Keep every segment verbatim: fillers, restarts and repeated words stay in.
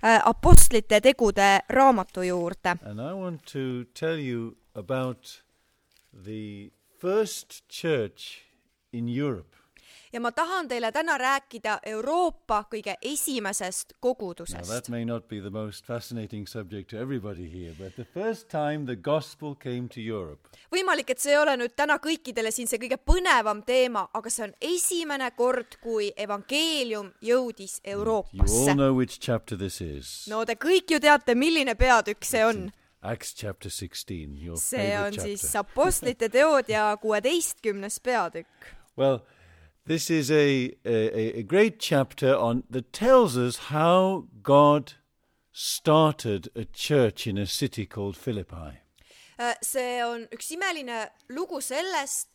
apostlite tegude raamatu juurde. And I want to tell you about the first church in Europe. Ja ma tahan teile täna rääkida Euroopa kõige esimesest kogudusest. Now that may not be the most fascinating subject to everybody here, but the first time the gospel came to Europe. Võimalik, et see ei ole nüüd täna kõikidele siin see kõige põnevam teema, aga see on esimene kord, kui evangeelium jõudis Euroopasse. You all know which chapter this is. No te kõik ju teate, milline peatükk see on. Acts chapter sixteen, your see on favorite siis chapter. apostlite teod ja kuueteistkümnes peatükk. Well, this is a, a, a great chapter on that tells us how God started a church in a city called Philippi. See on üks imeline lugu sellest,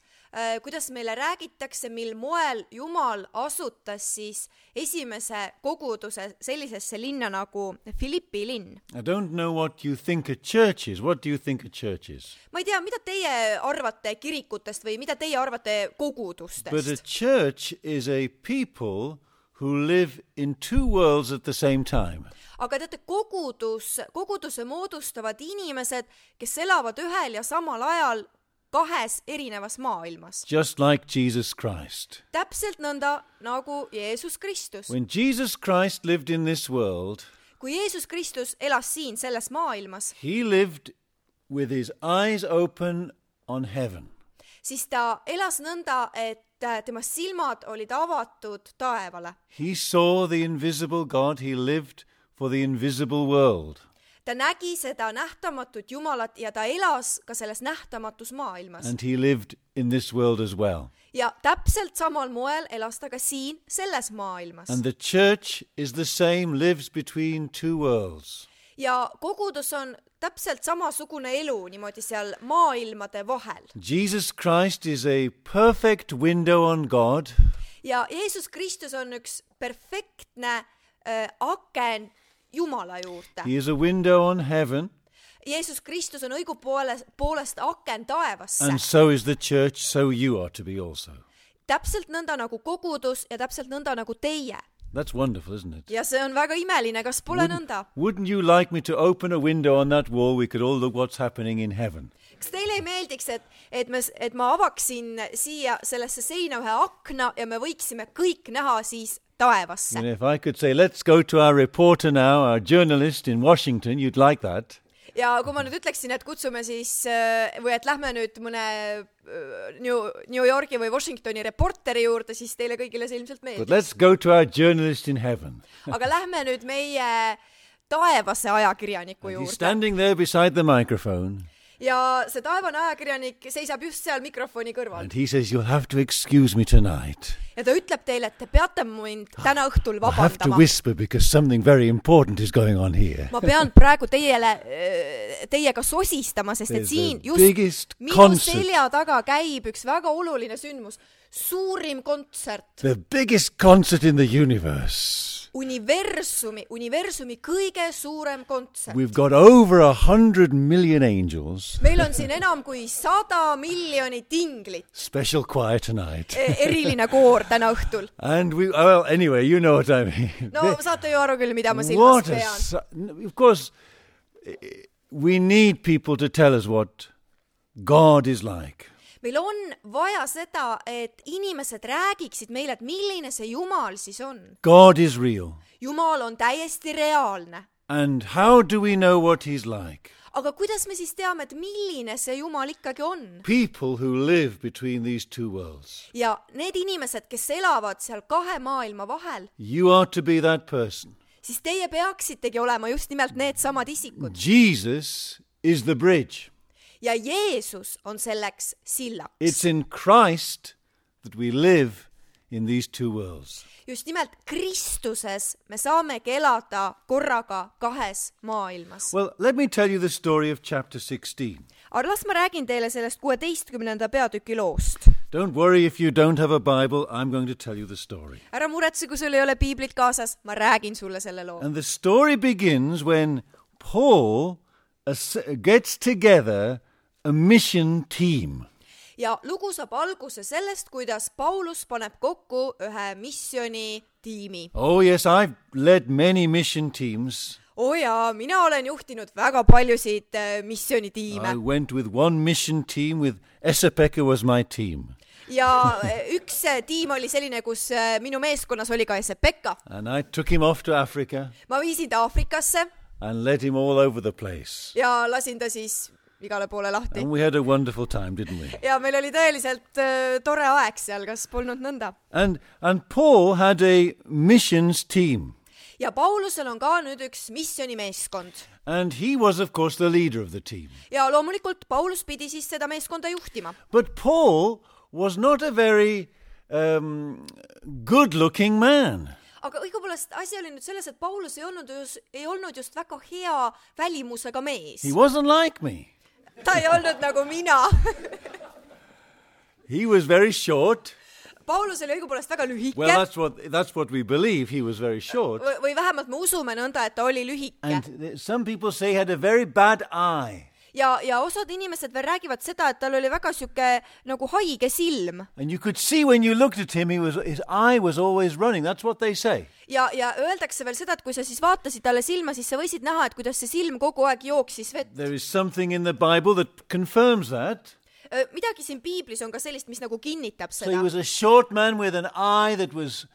kuidas meile räägitakse, mil moel Jumal asutas siis esimese koguduse sellisesse linna nagu Philippi linn. I don't know what you think a church is. What do you think a church is? Ma ei tea, mida teie arvate kirikutest või mida teie arvate kogudustest? But a church is a people who live in two worlds at the same time. Aga teate, kogudus, koguduse moodustavad inimesed, kes elavad ühel ja samal ajal kahes erinevas maailmas. Just like Jesus Christ. Täpselt nõnda nagu Jeesus Kristus. When Jesus Christ lived in this world, kui Jeesus Kristus elas siin selles maailmas, he lived with his eyes open on heaven. siis ta elas nõnda, et tema silmad olid avatud taevale. He saw the invisible God. He lived for the invisible world. Ta nägi seda nähtamatut Jumalat ja ta elas ka selles nähtamatus maailmas. And he lived in this world as well. Ja täpselt samal moel elas ta ka siin selles maailmas. And the church is the same, lives between two worlds. Ja kogudus on täpselt samasugune elu niimoodi seal maailmade vahel. Jesus Christ is a perfect window on God. Ja Jeesus Kristus on üks perfektne äh, aken Jumala juurde. He is a window on heaven. Jeesus Kristus on õigupoolest poolest aken taevasse. And so is the church, so you are to be also. Täpselt nõnda nagu kogudus ja täpselt nõnda nagu teie. That's wonderful, isn't it? Ja see on väga imeline, kas pole Wouldn't, nõnda? wouldn't you like me to open a window on that wall? We could all look what's happening in heaven. Kas teile ei meeldiks, et, et, me, et ma avaksin siia sellesse seina ühe akna ja me võiksime kõik näha siis taevasse? And if I could say, let's go to our reporter now, our journalist in Washington, you'd like that. Ja kui ma nüüd ütleksin, et kutsume siis, või et lähme nüüd mõne New, New Yorki või Washingtoni reporteri juurde, siis teile kõigile see ilmselt meeldis. But let's go to our journalist in heaven. Aga lähme nüüd meie taevase ajakirjaniku He's juurde. standing there beside the microphone. Ja see taevane ajakirjanik seisab just seal mikrofoni kõrval. And he says, you'll have to excuse me tonight. Ja ta ütleb teile, et te peate mind täna õhtul I have to vabandama. whisper because something very important is going on here. Ma pean praegu teiele, teiega sosistama, sest et There's siin the just biggest minu concert. selja taga käib üks väga oluline sündmus. Suurim kontsert. The biggest concert in the universe. Universumi, universumi kõige suurem kontsert. We've got over a hundred million angels. Meil on siin enam kui sada miljonit inglit. Special choir tonight. Eriline koor täna õhtul. And we, well, anyway, you know what I mean. No saate ju aru küll, mida ma silmas What a, pean. su- of course, we need people to tell us what God is like. Meil on vaja seda, et inimesed räägiksid meile, et milline see Jumal siis on. God is real. Jumal on täiesti reaalne. And how do we know what he's like? Aga kuidas me siis teame, et milline see Jumal ikkagi on? People who live between these two worlds. Ja need inimesed, kes elavad seal kahe maailma vahel, You are to be that person. siis teie peaksitegi olema just nimelt need samad isikud. Jesus is the bridge. Ja Jeesus on selleks sillaks. It's in Christ that we live in these two worlds. Just nimelt Kristuses me saamegi elada korraga kahes maailmas. Well, let me tell you the story of chapter sixteen. Aga las ma räägin teile sellest kuueteistkümnenda peatüki loost. Don't worry if you don't have a Bible, I'm going to tell you the story. Ära muretse, kui sul ei ole piiblit kaasas, ma räägin sulle selle loo. And the story begins when Paul gets together a mission team. ja lugu saab alguse sellest, kuidas Paulus paneb kokku ühe missiooni tiimi. Oh yes, I've led many mission teams. oo jaa, mina olen juhtinud väga paljusid äh, missioonitiime. I went with one mission team with Esa-Pekka was my team. ja üks tiim oli selline, kus äh, minu meeskonnas oli ka Esa-Pekka. And I took him off to Africa. ma viisin ta Aafrikasse. And led him all over the place. ja lasin ta siis igale poole lahti. And we had a wonderful time, didn't we? ja meil oli tõeliselt äh, tore aeg seal, kas polnud nõnda? And, and Paul had a missions team. ja Paulusel on ka nüüd üks missioonimeeskond. And he was, of course, the leader of the team. ja loomulikult Paulus pidi siis seda meeskonda juhtima. But Paul was not a very um, good-looking man. aga õigupoolest asi oli nüüd selles, et Paulus ei olnud just, ei olnud just väga hea välimusega mees. He wasn't like me. ta ei olnud nagu mina. He was very short. Paulus oli õigupoolest väga lühike. Well, that's what, that's what we believe. He was very short. või, või vähemalt me usume nõnda, et ta oli lühike. And th- some people say he had a very bad eye. ja, ja osad inimesed veel räägivad seda, et tal oli väga siuke nagu haige silm. And you could see when you looked at him, he was, his eye was always running. That's what they say. ja, ja öeldakse veel seda, et kui sa siis vaatasid talle silma, siis sa võisid näha, et kuidas see silm kogu aeg jooksis vett. There is something in the Bible that confirms that. midagi siin piiblis on ka sellist, mis nagu kinnitab So he seda. was a short man with an eye that was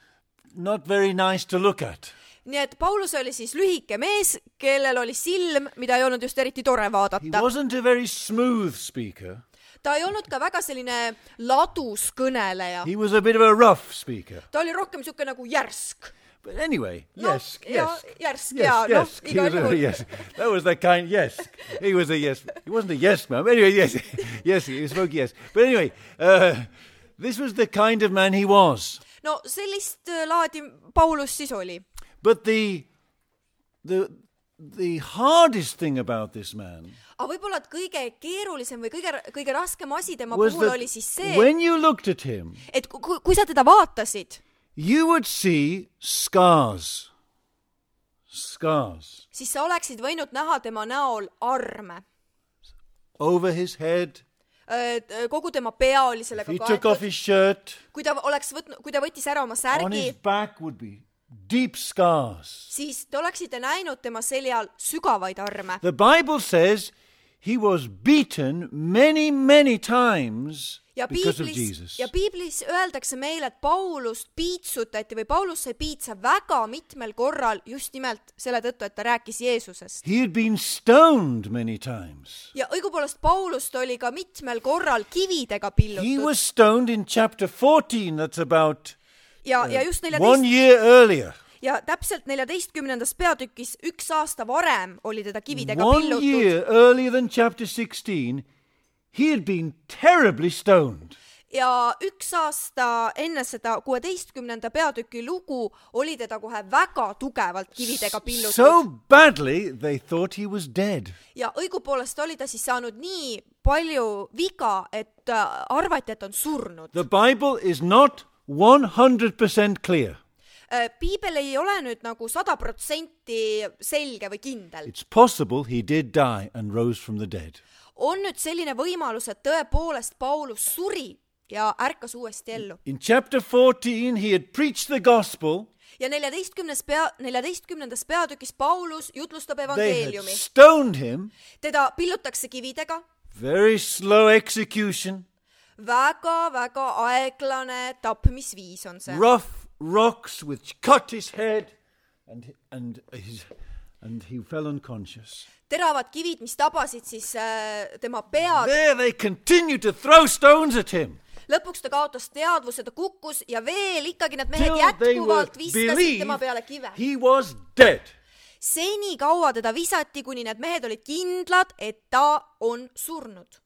not very nice to look at. nii et Paulus oli siis lühike mees, kellel oli silm, mida ei olnud just eriti tore He vaadata. wasn't a very smooth speaker. ta ei olnud ka väga selline ladus kõneleja. He was a bit of a rough speaker. ta oli rohkem siuke nagu järsk. But anyway, No, yes, ja, yes. järsk, Yes, ja, yes. noh, He igal was a, juhul. yes. That was the kind, yes. He was a yes. He wasn't a yes man. But anyway, yes. Yes, he spoke yes. But anyway, uh, this was the kind of man he was. no sellist äh, laadi Paulus siis oli. But the, the, the hardest thing about this man aga võib-olla, et kõige keerulisem või kõige, kõige raskem asi tema was puhul that oli siis see, when you looked at him, et kui, kui sa teda vaatasid, you would see scars. Scars. siis sa oleksid võinud näha tema näol arme. Over his head. kogu tema pea oli sellega He took off kaetud. his shirt. kui ta oleks võtnud, kui ta võttis ära oma On särgi, his back would be deep scars. siis te oleksite näinud tema seljal sügavaid arme. The Bible says he was beaten many, many times ja because of piiblis, Jesus. ja piiblis öeldakse meile, et Paulust piitsutati või Paulus sai piitsa väga mitmel korral just nimelt selle tõttu, et ta rääkis Jeesusest. He had been stoned many times. ja õigupoolest Paulust oli ka mitmel korral kividega He pillutud. was stoned in chapter fourteen, that's about ja, ja just one neljateist year earlier. ja täpselt neljateistkümnendas peatükis üks aasta varem oli teda kividega One pillutud. year earlier than chapter sixteen, he had been terribly stoned. ja üks aasta enne seda kuueteistkümnenda peatüki lugu oli teda kohe väga tugevalt kividega pillutud. So badly they thought he was dead. ja õigupoolest oli ta siis saanud nii palju viga, et äh, arvati, et on surnud. The Bible is not one hundred percent clear. Äh, piibel ei ole nüüd nagu sada protsenti selge või kindel. It's possible he did die and rose from the dead. on nüüd selline võimalus, et tõepoolest Paulus suri ja ärkas uuesti ellu. In chapter fourteen, he had preached the gospel. ja neljateistkümnes pea, neljateistkümnendas peatükis Paulus jutlustab They had evangeeliumi. stoned him. teda pillutakse kividega, Very slow execution. väga-väga aeglane tapmisviis on see. Rough rocks which cut his head and, and, his, and he fell unconscious. teravad kivid, mis tabasid siis äh, tema pead. There they continued to throw stones at him. lõpuks ta kaotas teadvuse, ta kukkus ja veel ikkagi need mehed Till they were jätkuvalt viskasid tema peale believed kive. he was dead. seni kaua teda visati, kuni need mehed olid kindlad, et ta on surnud.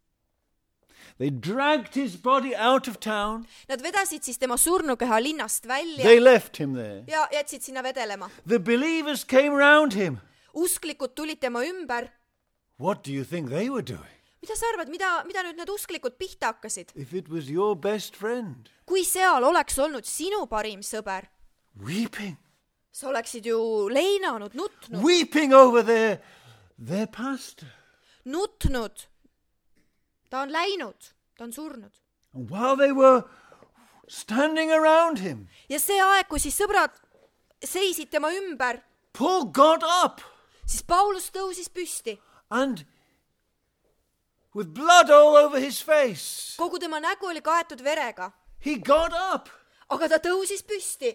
They dragged his body out of town. Nad vedasid siis tema surnukeha linnast välja They left him there. ja jätsid sinna vedelema. The believers came round him. usklikud tulid tema ümber. What do you think they were doing? mida sa arvad, mida, mida nüüd need usklikud pihta hakkasid? If it was your best friend, kui seal oleks olnud sinu parim sõber, weeping, sa oleksid ju leinanud, nutnud, weeping over their, their pastor. nutnud. ta on läinud, ta on surnud. And while they were standing around him, ja see aeg, kui siis sõbrad seisid tema ümber, Paul got up siis Paulus tõusis püsti. and with blood all over his face, Kogu tema nägu oli kaetud verega, he got up aga ta tõusis püsti.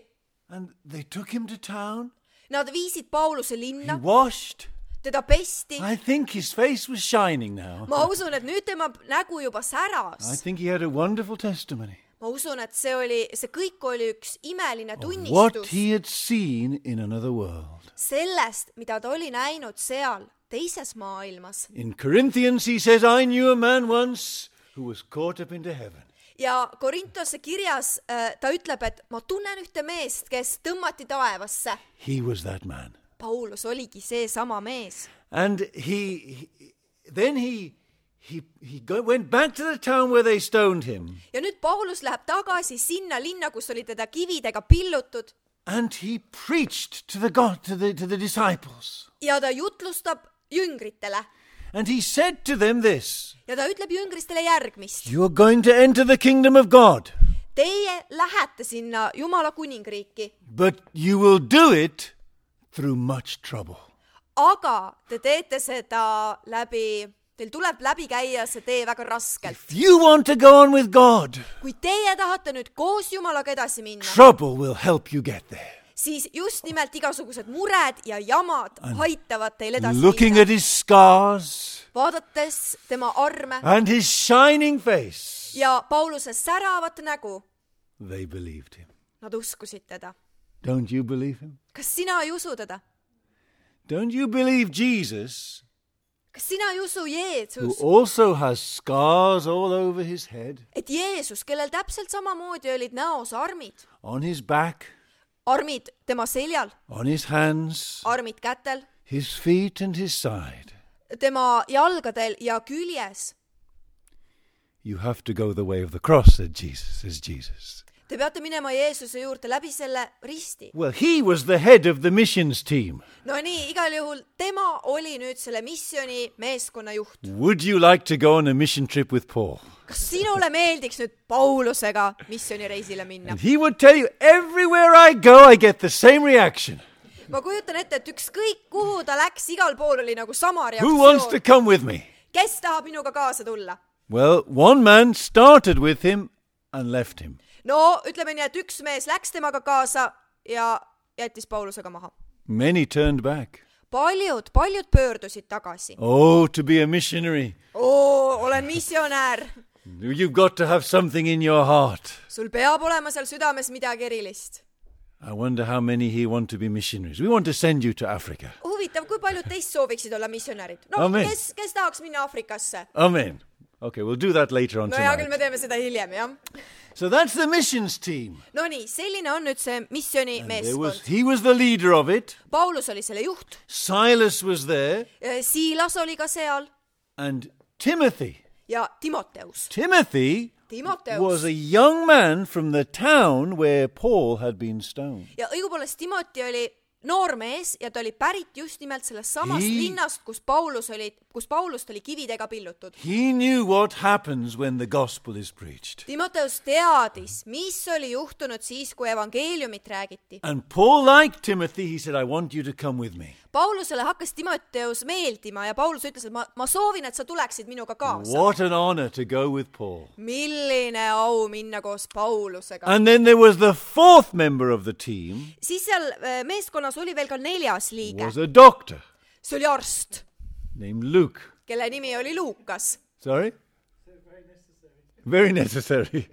and they took him to town. Nad viisid Pauluse He linna, washed. teda pesti. I think his face was shining now. Ma usun, et nüüd tema nägu juba I säras. think he had a wonderful testimony Ma usun, et see oli, see kõik oli üks imeline of what tunnistus he had seen in another world. sellest, mida ta oli näinud seal teises maailmas. In Corinthians, he says, I knew a man once who was caught up into heaven. Ja Korintose kirjas äh, ta ütleb, et ma tunnen ühte meest, kes tõmmati taevasse. He was that man. Paulus oligi see sama mees. And he, he then he he he go, went back to the town where they stoned him, Ja nüüd Paulus läheb tagasi sinna linna, kus oli teda kividega pillutud and he preached to the God to the to the disciples. ja ta jutlustab jüngritele. And he said to them this, Ja ta ütleb jüngristele järgmist. you are going to enter the kingdom of God, Teie lähete sinna Jumala kuningriiki, but you will do it through much trouble. aga te teete seda läbi, teil tuleb läbi käia see tee väga raskelt. If you want to go on with God, Kui teie tahate nüüd koos Jumalaga edasi minna, trouble will help you get there. siis just nimelt igasugused mured ja jamad aitavad teil edasi Looking minna. at his scars Vaadates tema arme and his shining face, ja Pauluse säravat nägu, they believed him. nad uskusid teda. Don't you believe him? Kas sina ei usu teda? Don't you believe Jesus, Kas sina ei usu who Jeesus, also has scars all over his head, et Jeesus, kellel täpselt samamoodi olid näos armid, on his back, armid tema seljal, on his hands, armid kätel, his feet and his side? tema jalgadel ja küljes? You have to go the way of the cross, said Jesus, says Jesus. Te peate minema Jeesuse juurde läbi selle risti. Well, he was the head of the missions team. No nii, igal juhul tema oli nüüd selle missiooni meeskonna juht. Would you like to go on a mission trip with Paul? Kas sinule meeldiks nüüd Paulusega missioonireisile minna? And he would tell you, everywhere I go, I get the same reaction. Ma kujutan ette, et ükskõik kuhu ta läks, igal pool oli nagu sama Who wants to reaktsioon. come with me? Kes tahab minuga kaasa tulla? Well, one man started with him and left him. No, ütleme nii, et üks mees läks temaga kaasa ja jättis Paulusega maha. Many turned back. Paljud, paljud pöördusid tagasi. Oh, to be a missionary. Oo, olen missionäär. You've got to have something in your heart. Sul peab olema seal südames midagi erilist. I wonder how many here want to be missionaries. We want to send you to Africa. Huvitav, kui paljud teist sooviksid olla missionärid? No, Amen. kes, kes tahaks minna Afrikasse? Amen. Okay, we'll do that later on No hea küll, me tonight. teeme seda hiljem, jah. So that's the missions team. No nii, selline on nüüd see missiooni There was, meeskond. he was the leader of it. Paulus oli selle juht, Silas was there. Siilas oli ka seal And Timothy. ja Timoteus. Timothy Timoteus. was a young man from the town where Paul had been stoned. Ja õigupoolest Timoti oli noor mees ja ta oli pärit just nimelt sellest samast He- linnast, kus Paulus oli, kus Paulust oli kividega pillutud. He knew what happens when the gospel is preached. Timoteus teadis, mis oli juhtunud siis, kui evangeeliumit räägiti. And Paul liked Timothy. He said, I want you to come with me. Paulusele hakkas Timoteus meeldima ja Paulus ütles, et ma, ma soovin, et sa tuleksid minuga kaasa. What an honor to go with Paul. Milline au minna koos Paulusega. And then there was the fourth member of the team, Siis seal äh, meeskonnas oli veel ka neljas liige. was a doctor See oli arst, named Luke. kelle nimi oli Luukas. Sorry? Very necessary.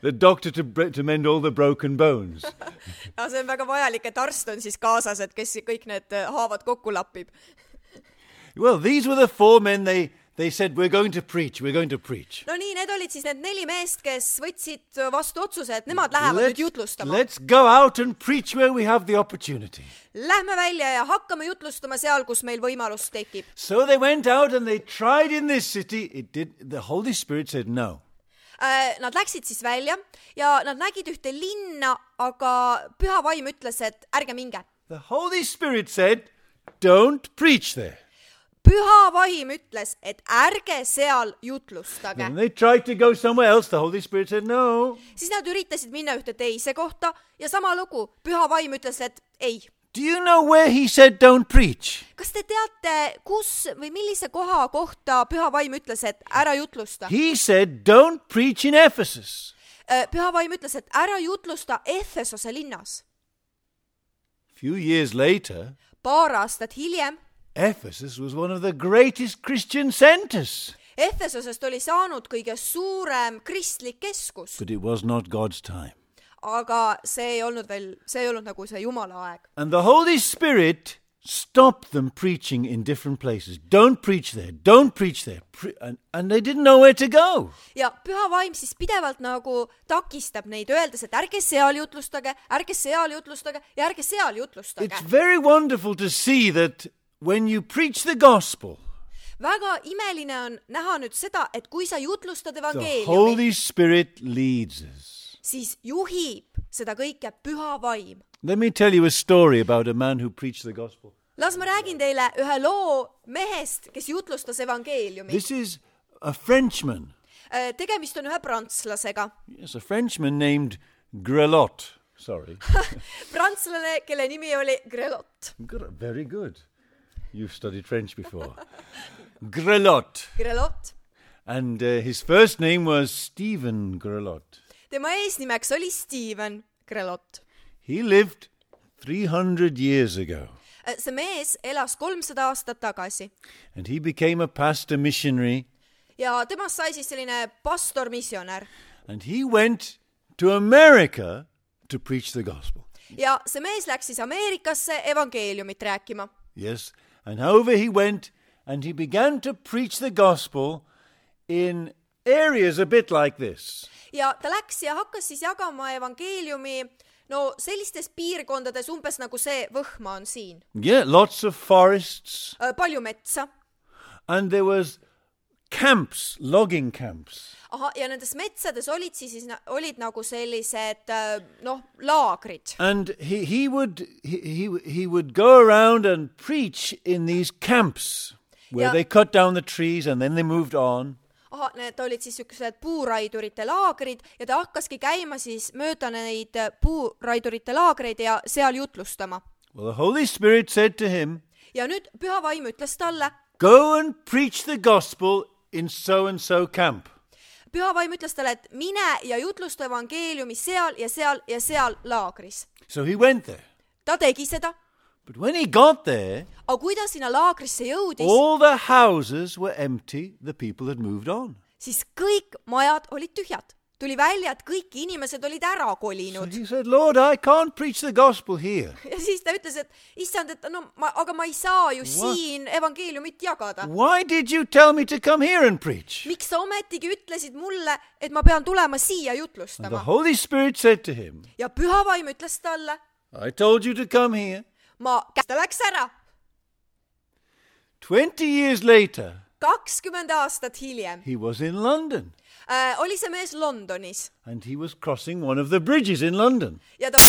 The doctor to, bre- to mend all the broken bones. Ja see on väga vajalik, et arst on siis kaasas, et kes kõik need äh, haavad kokku lappib. Well, these were the four men. They, they said, we're going to preach, we're going to preach. No nii, need olid siis need neli meest, kes võtsid vastu otsuse, et nemad lähevad nüüd jutlustama. let's go out and preach where we have the opportunity. Lähme välja ja hakkame jutlustama seal, kus meil võimalus tekib. So they went out and they tried in this city. It did. The Holy Spirit said no. Äh, Nad läksid siis välja ja nad nägid ühte linna, aga Püha Vaim ütles, et ärge minge. The Holy Spirit said, don't preach there. püha vaim ütles, et ärge seal jutlustage. And they tried to go somewhere else. The Holy Spirit said, no. Siis nad üritasid minna ühte teise kohta ja sama lugu, püha vaim ütles, et ei. Do you know where he said don't preach? Kas te teate, kus või millise koha kohta püha vaim ütles, et ära jutlusta? He said don't preach in Ephesus. Püha vaim ütles, et ära jutlusta Efesose linnas. Few years later, Paar aastat hiljem, Ephesus was one of the greatest Christian centers. Efesosest oli saanud kõige suurem kristlik keskus. But it was not God's time. Aga see ei olnud veel, see ei olnud nagu see Jumala aeg. And the Holy Spirit stopped them preaching in different places. Don't preach there, don't preach there. Pre- and, and they didn't know where to go. Ja püha vaim siis pidevalt nagu takistab neid, öeldes, et ärge seal jutlustage, ärge seal jutlustage ja ärge seal jutlustage. It's very wonderful to see that when you preach the gospel, väga imeline on näha nüüd seda, et kui sa jutlustad the evangeeliumi, Holy Spirit leads us. siis juhib seda kõike püha vaim. Let me tell you a story about a man who preached the gospel. Las ma räägin teile ühe loo mehest, kes jutlustas evangeeliumi. This is a Frenchman. Tegemist on ühe prantslasega. Yes, a Frenchman named Grelot. Sorry. Prantslane, kelle nimi oli Grelot. Very good. You've studied French before. Grelot. Grelot. And uh, his first name was Stephen Grelot. Tema eesnimeks oli Steven Grelot. He lived three hundred years ago. See mees elas kolmsada aastat tagasi. And he became a pastor missionary. Ja temast sai siis selline pastor missionär. And he went to America to preach the gospel. Ja see mees läks siis Ameerikasse evangeeliumit rääkima. Yes, and over he went and he began to preach the gospel in areas a bit like this. Ja ta läks ja hakkas siis jagama evangeeliumi no sellistes piirkondades umbes nagu see Võhma on siin. Yeah, lots of forests. Palju metsa. And there was camps, logging camps. Aha, ja nendes metsades olid siis olid nagu sellised noh, laagrid. And he he would he he, he would go around and preach in these camps where ja, they cut down the trees and then they moved on. Aha, need olid siis sellised puuraidurite laagrid ja ta hakkaski käima siis mööda neid puuraidurite laagreid ja seal jutlustama. Well, the Holy Spirit said to him, ja nüüd püha vaim ütles talle, go and preach the gospel in so and so camp. Püha vaim ütles talle, et mine ja jutlusta evangeeliumi seal ja seal ja seal laagris. So he went there. Ta tegi seda. But when he got there, aga kui ta sinna laagrisse jõudis, all the houses were empty, the people had moved on. Siis kõik majad olid tühjad. Tuli välja, et kõik inimesed olid ära kolinud. So he said, Lord, I can't preach the gospel here. Ja siis ta ütles, et issand, et no, ma, aga ma ei saa ju What? siin evangeeliumit jagada. Why did you tell me to come here and preach? Miks sa ometigi ütlesid mulle, et ma pean tulema siia jutlustama? And the Holy Spirit said to him, ja püha vaim ütles talle, I told you to come here. Ma, ta läks ära. Twenty years later, kakskümmend aastat hiljem, he was in London. Äh, oli see mees Londonis. And he was crossing one of the bridges in London. Ja ta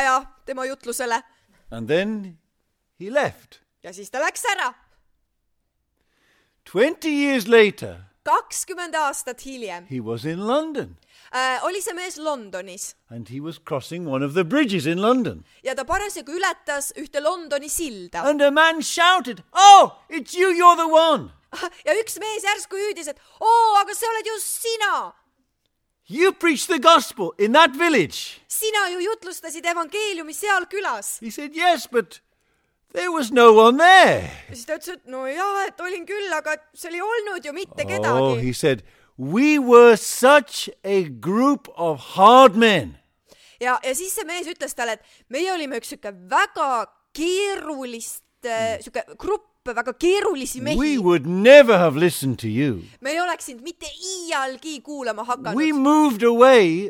ja tema jutlusele. And then he left. Ja siis ta läks ära. Twenty years later, kakskümmend aastat hiljem, he was in London. Äh, oli see mees Londonis. And he was crossing one of the bridges in London. Ja ta parasjagu ületas ühte Londoni silda. And a man shouted, oh, it's you, you're the one. Ja üks mees järsku hüüdis, et oo, aga see oled just sina. You preached the gospel in that village. Sina ju jutlustasid evangeeliumi seal külas. He said, yes, but there was no one there. Ja siis ta ütles, et no jah, et olin küll, aga seal ei olnud ju mitte kedagi. Oh, he said, we were such a group of hard men. Ja, ja siis see mees ütles talle, et meie olime üks süke väga keerulist, mm. süke grupp, väga keerulisi mehi. We would never have listened to you. Me ei oleks sind mitte iialgi kuulama hakanud. We moved away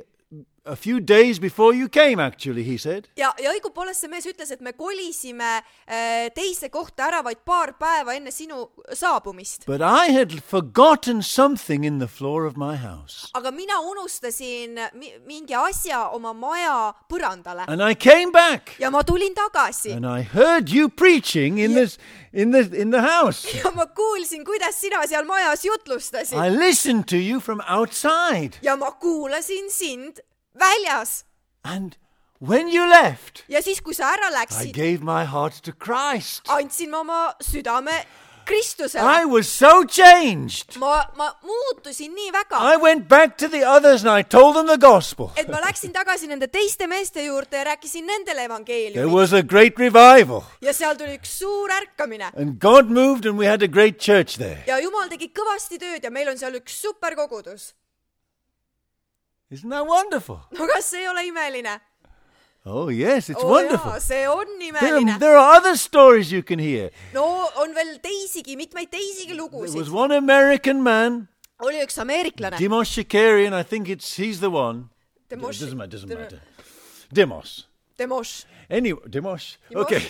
a few days before you came, actually, he said. ja, ja õigupoolest see mees ütles, et me kolisime äh, teise kohta ära vaid paar päeva enne sinu saabumist. But I had forgotten something in the floor of my house. aga mina unustasin mi- mingi asja oma maja põrandale. And I came back. ja ma tulin tagasi. And I heard you preaching in this in the in the house. ja ma kuulsin, kuidas sina seal majas jutlustasid. I listened to you from outside. ja ma kuulasin sind väljas. And when you left, ja siis, kui sa ära I läksid, gave my heart to Christ. andsin ma oma südame Kristusele. I was so changed. ma, ma muutusin nii väga, I went back to the others and I told them the gospel. et ma läksin tagasi nende teiste meeste juurde ja rääkisin nendele There evangeeliumi. was a great revival. ja seal tuli üks suur ärkamine. And God moved and we had a great church there. ja Jumal tegi kõvasti tööd ja meil on seal üks superkogudus. Isn't that wonderful? no kas see ei ole imeline? Oh, yes, it's oo wonderful. jaa, see on There, imeline. there are other stories you can hear. no on veel teisigi, mitmeid teisigi There was lugusid. one American man, oli üks ameeriklane. Demos Shakarian, I think it's he's the one. Demos- Doesn't matter, doesn't Dem- matter. Demos. Demos. Anyway, Demos. Demos. Okay.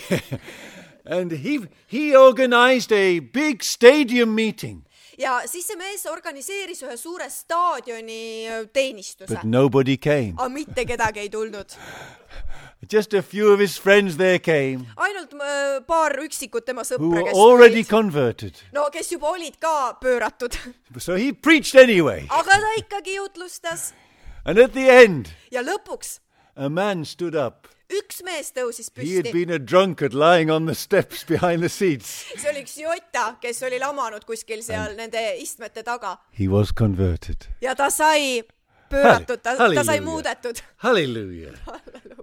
And he he organized a big stadium meeting, ja siis see mees organiseeris ühe suure staadioni öö, teenistuse. but nobody came. aga mitte kedagi ei tulnud. Just a few of his friends there came ainult öö, paar üksikut tema who sõpra, were kes already tulid. converted. no kes juba olid ka pööratud. So he preached anyway. aga ta ikkagi jutlustas. And at the end, ja lõpuks a man stood up. üks mees tõusis He had püsti. been a drunkard lying on the steps behind the seats. see oli üks jota, kes oli lamanud kuskil seal nende istmete taga. He was converted. ja ta sai pööratud, ta, ta sai Hallelujah. muudetud. Hallelujah.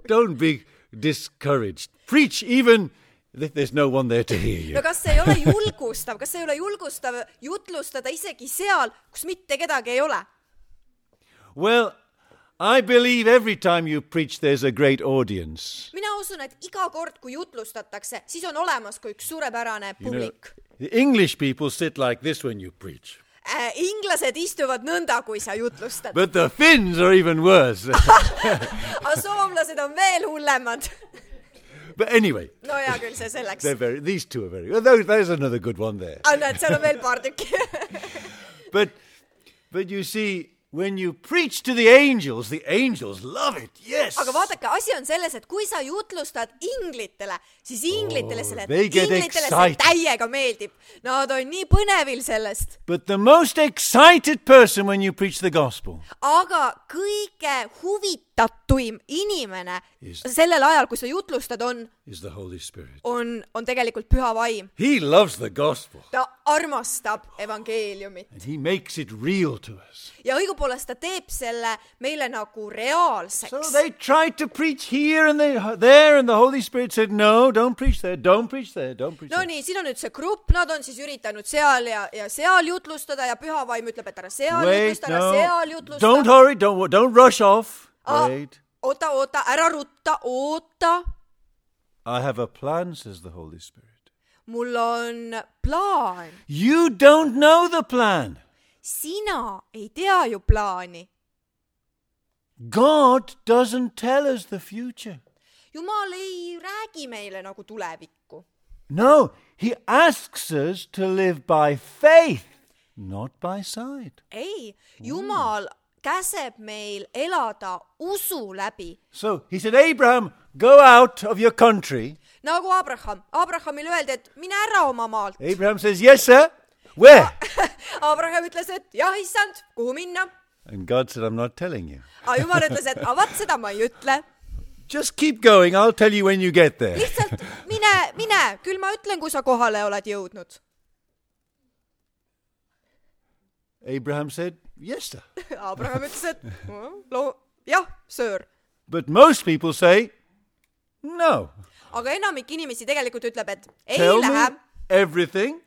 Don't be discouraged. Preach even if there's no one there to hear you. no kas see ei ole julgustav, kas see ei ole julgustav jutlustada isegi seal, kus mitte kedagi ei ole? Well, I believe every time you preach there's a great audience. mina usun, et iga kord, kui jutlustatakse, siis on olemas ka üks suurepärane You know, publik. the English people sit like this when you preach. Äh, inglased istuvad nõnda, kui sa jutlustad. But the Finns are even worse. aga soomlased on veel hullemad. But anyway, no hea küll, see selleks. they're very, these two are very, well, those, there's another good one there. aga näed, seal on veel paar tükki. But, but you see, when you preach to the angels, the angels love it, yes. aga vaadake, asi on selles, et kui sa jutlustad inglitele, siis inglitele selle, they get inglitele see excited. täiega meeldib. Nad on nii põnevil sellest. But the most excited person when you preach the gospel aga kõige huvitatuim inimene Is- sellel ajal, kui sa jutlustad, on, is the Holy Spirit. on, on tegelikult püha vaim. He loves the gospel ta armastab evangeeliumit. and he makes it real to us. ja õigupoolest ta teeb selle meile nagu reaalseks. So they tried to preach here and they, there and the Holy Spirit said, no, don't preach there, don't preach there, don't preach no there. nii, siin on nüüd see grupp, nad on siis üritanud seal ja, ja seal jutlustada ja püha vaim ütleb, et ära seal Wait, jutlusta, ära seal no, jutlusta. don't hurry, don't, don't rush off. Ah, Wait. oota, oota, ära rutta, oota. I have a plan, says the Holy Spirit. mul on plaan. You don't know the plan. sina ei tea ju plaani. God doesn't tell us the future. Jumal ei räägi meile nagu tulevikku. No, he asks us to live by faith, not by sight. ei, Jumal käseb meil elada usu läbi. So he said, Abraham, go out of your country. nagu Abraham. Abrahamile öeldi, et mine ära oma maalt. Abraham says, yes, sir. Where? Abraham ütles, et jah, issand, kuhu minna? And God said, I'm not telling you. aga Jumal ütles, et aga vaat seda ma ei ütle. Just keep going. I'll tell you when you get there. lihtsalt mine, mine, küll ma ütlen, kui sa kohale oled jõudnud. Abraham said, yes, sir. Abraham ütles, et lo- jah, söör. But most people say, no. aga enamik inimesi tegelikult ütleb, et ei Tell lähe. me everything,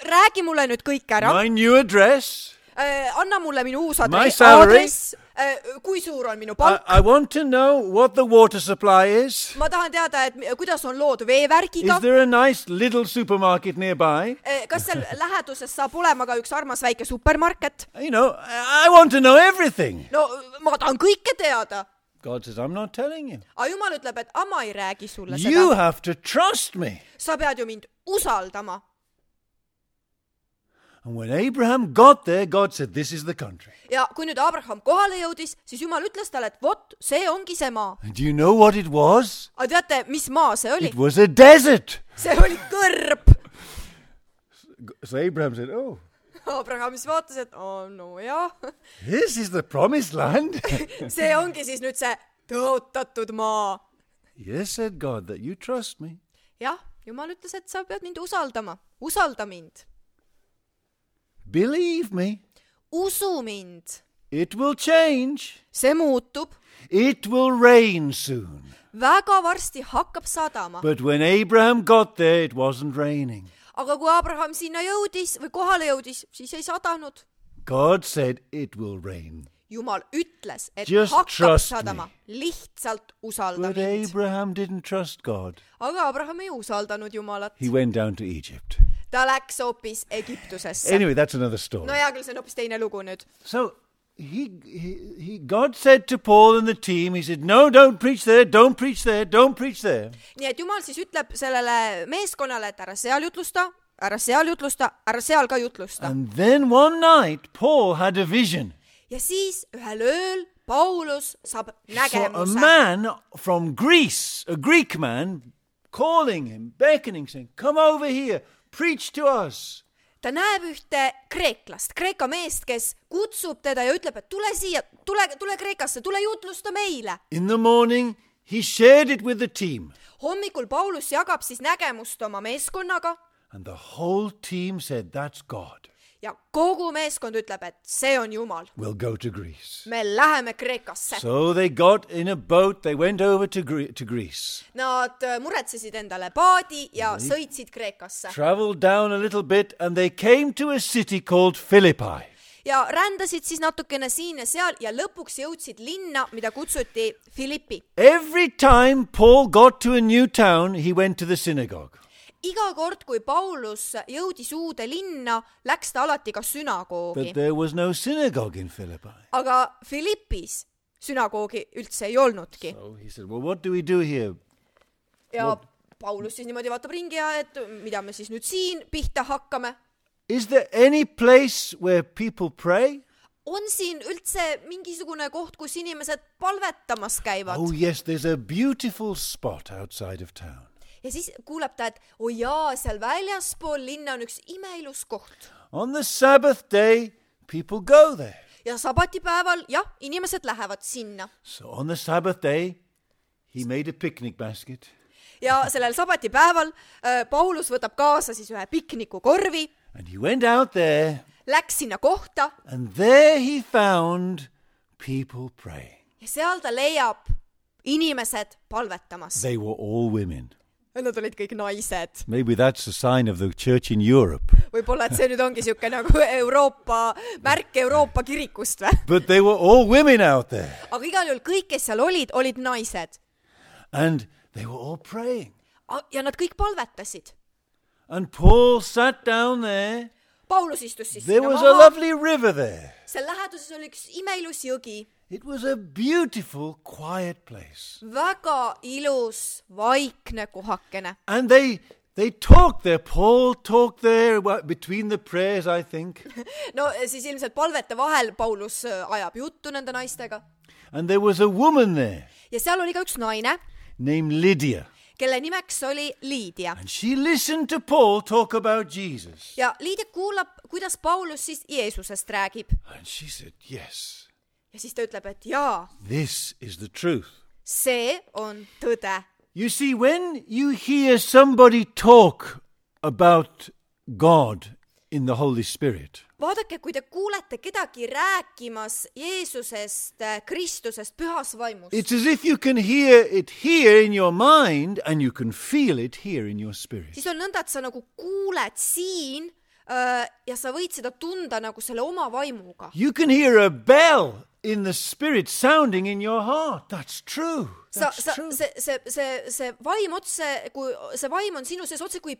räägi mulle nüüd kõik ära. my new address, äh, anna mulle minu uus My adress, salary. adress äh, kui suur on minu I, palk. I want to know what the water supply is. Ma tahan teada, et mi- kuidas on lood veevärgiga. Is there a nice little supermarket nearby? Äh, kas seal läheduses saab olema ka üks armas väike supermarket? You know, I I want to know everything. No ma tahan kõike teada. God says, I'm not telling you. Aga Jumal ütleb, et ama ei räägi sulle You seda. have to trust me. Sa pead ju mind usaldama. And when Abraham got there, God said, this is the country. Ja kui nüüd Abraham kohale jõudis, siis Jumal ütles talle, et vot, see ongi see maa. And do you know what it was? Aga teate, mis maa see oli? It was a desert. See oli kõrb. So Abraham said, oh, Abraham siis vaatas, et oh, no jah, this is the promised land. see ongi siis nüüd see tõotatud maa. Yes, said God, that you trust me. Jah, Jumal ütles, et sa pead mind usaldama. Usalda mind. Believe me. Usu mind. It will change. See muutub. It will rain soon. Väga varsti hakkab sadama. But when Abraham got there, it wasn't raining. Aga kui Abraham sinna jõudis või kohale jõudis, siis ei sadanud. God said it will rain. Jumal ütles, et Just hakkab trust sadama. Lihtsalt usalda But mind. Abraham didn't trust God. Aga Abraham ei usaldanud Jumalat. He went down to Egypt. Ta läks hoopis Egiptusesse. Anyway, that's another story. No hea küll, see on hoopis teine lugu nüüd. So he, he, he, God said to Paul and the team, he said, no, don't preach there, don't preach there, don't preach there. Nii et Jumal siis ütleb sellele meeskonnale, et ära seal jutlusta, ära seal jutlusta, ära seal ka jutlusta. And then one night, Paul had a vision. Ja siis ühel ööl Paulus saab He saw a nägemuse. man from Greece, a Greek man, calling him, beckoning, saying, come over here, preach to us. Ta näeb ühte kreeklast, kreeka meest, kes kutsub teda ja ütleb, et tule siia, tule, tule Kreekasse, tule jutlusta meile. In the morning, he shared it with the team. Hommikul Paulus jagab siis nägemust oma meeskonnaga And the whole team said, that's God. ja kogu meeskond ütleb, et see on Jumal. We'll go to Greece. Me läheme Kreekasse. So they got in a boat, they went over to, Gre- to Greece. Nad muretsesid endale paadi ja sõitsid Kreekasse. Traveled down a little bit and they came to a city called Philippi. Ja rändasid siis natukene siin ja seal ja lõpuks jõudsid linna, mida kutsuti Philippi. Every time Paul got to a new town, he went to the synagogue. Iga kord, kui Paulus jõudis uude linna, läks ta alati ka sünagoogi. But there was no synagogue in Philippi. Aga Philippis sünagoogi üldse ei olnudki. So he said, well, what do we do here? Ja Paulus siis niimoodi vaatab ringi ja et mida me siis nüüd siin pihta hakkame. Is there any place where people pray? On siin üldse mingisugune koht, kus inimesed palvetamas käivad? Oh yes, there's a beautiful spot outside of town. Ja siis kuuleb ta, et oh jaa, seal väljaspool linna on üks imeilus koht. On the Sabbath day, people go there. Ja sabatipäeval, jah, inimesed lähevad sinna. So on the Sabbath day, he made a picnic basket. Ja sellel sabatipäeval äh, Paulus võtab kaasa siis ühe piknikukorvi, And he went out there, läks sinna kohta and there he found people praying. ja seal ta leiab inimesed palvetamas. They were all women. Nad olid kõik naised. Maybe that's a sign of the church in Europe. Võib-olla, et see nüüd ongi siuke nagu Euroopa, märk Euroopa kirikust või? But they were all women out there. Aga igal juhul kõik, kes seal olid, olid naised. And they were all praying. Ja nad kõik palvetasid. And Paul sat down there. Paulus istus siis There sinna was a maha. lovely river there. Seal läheduses oli üks imeilus jõgi. It was a beautiful, quiet place. Väga ilus, vaikne kohakene. And they they talked there. Paul talked there what, between the prayers, I think. No siis ilmselt palvete vahel Paulus ajab juttu nende naistega. And there was a woman there Ja seal oli ka üks naine, named Lydia. kelle nimeks oli Liidia. And she listened to Paul talk about Jesus. Ja Liidia kuulab, kuidas Paulus siis Jeesusest räägib. And she said, yes, Ja siis ta ütleb, et jaa, this is the truth. see on tõde. You see, when you hear somebody talk about God in the Holy Spirit, Vaadake, kui te kuulete kedagi rääkimas Jeesusest, Kristusest, pühas vaimust, it's as if you can hear it here in your mind and you can feel it here in your spirit. siis on nõnda, et sa nagu kuuled siin uh, ja sa võid seda tunda nagu selle oma vaimuga. You can hear a bell in the spirit sounding in your heart. That's true. Sa, That's sa, true. see, see, see, see vaim otse, kui see vaim on sinu sees otse kui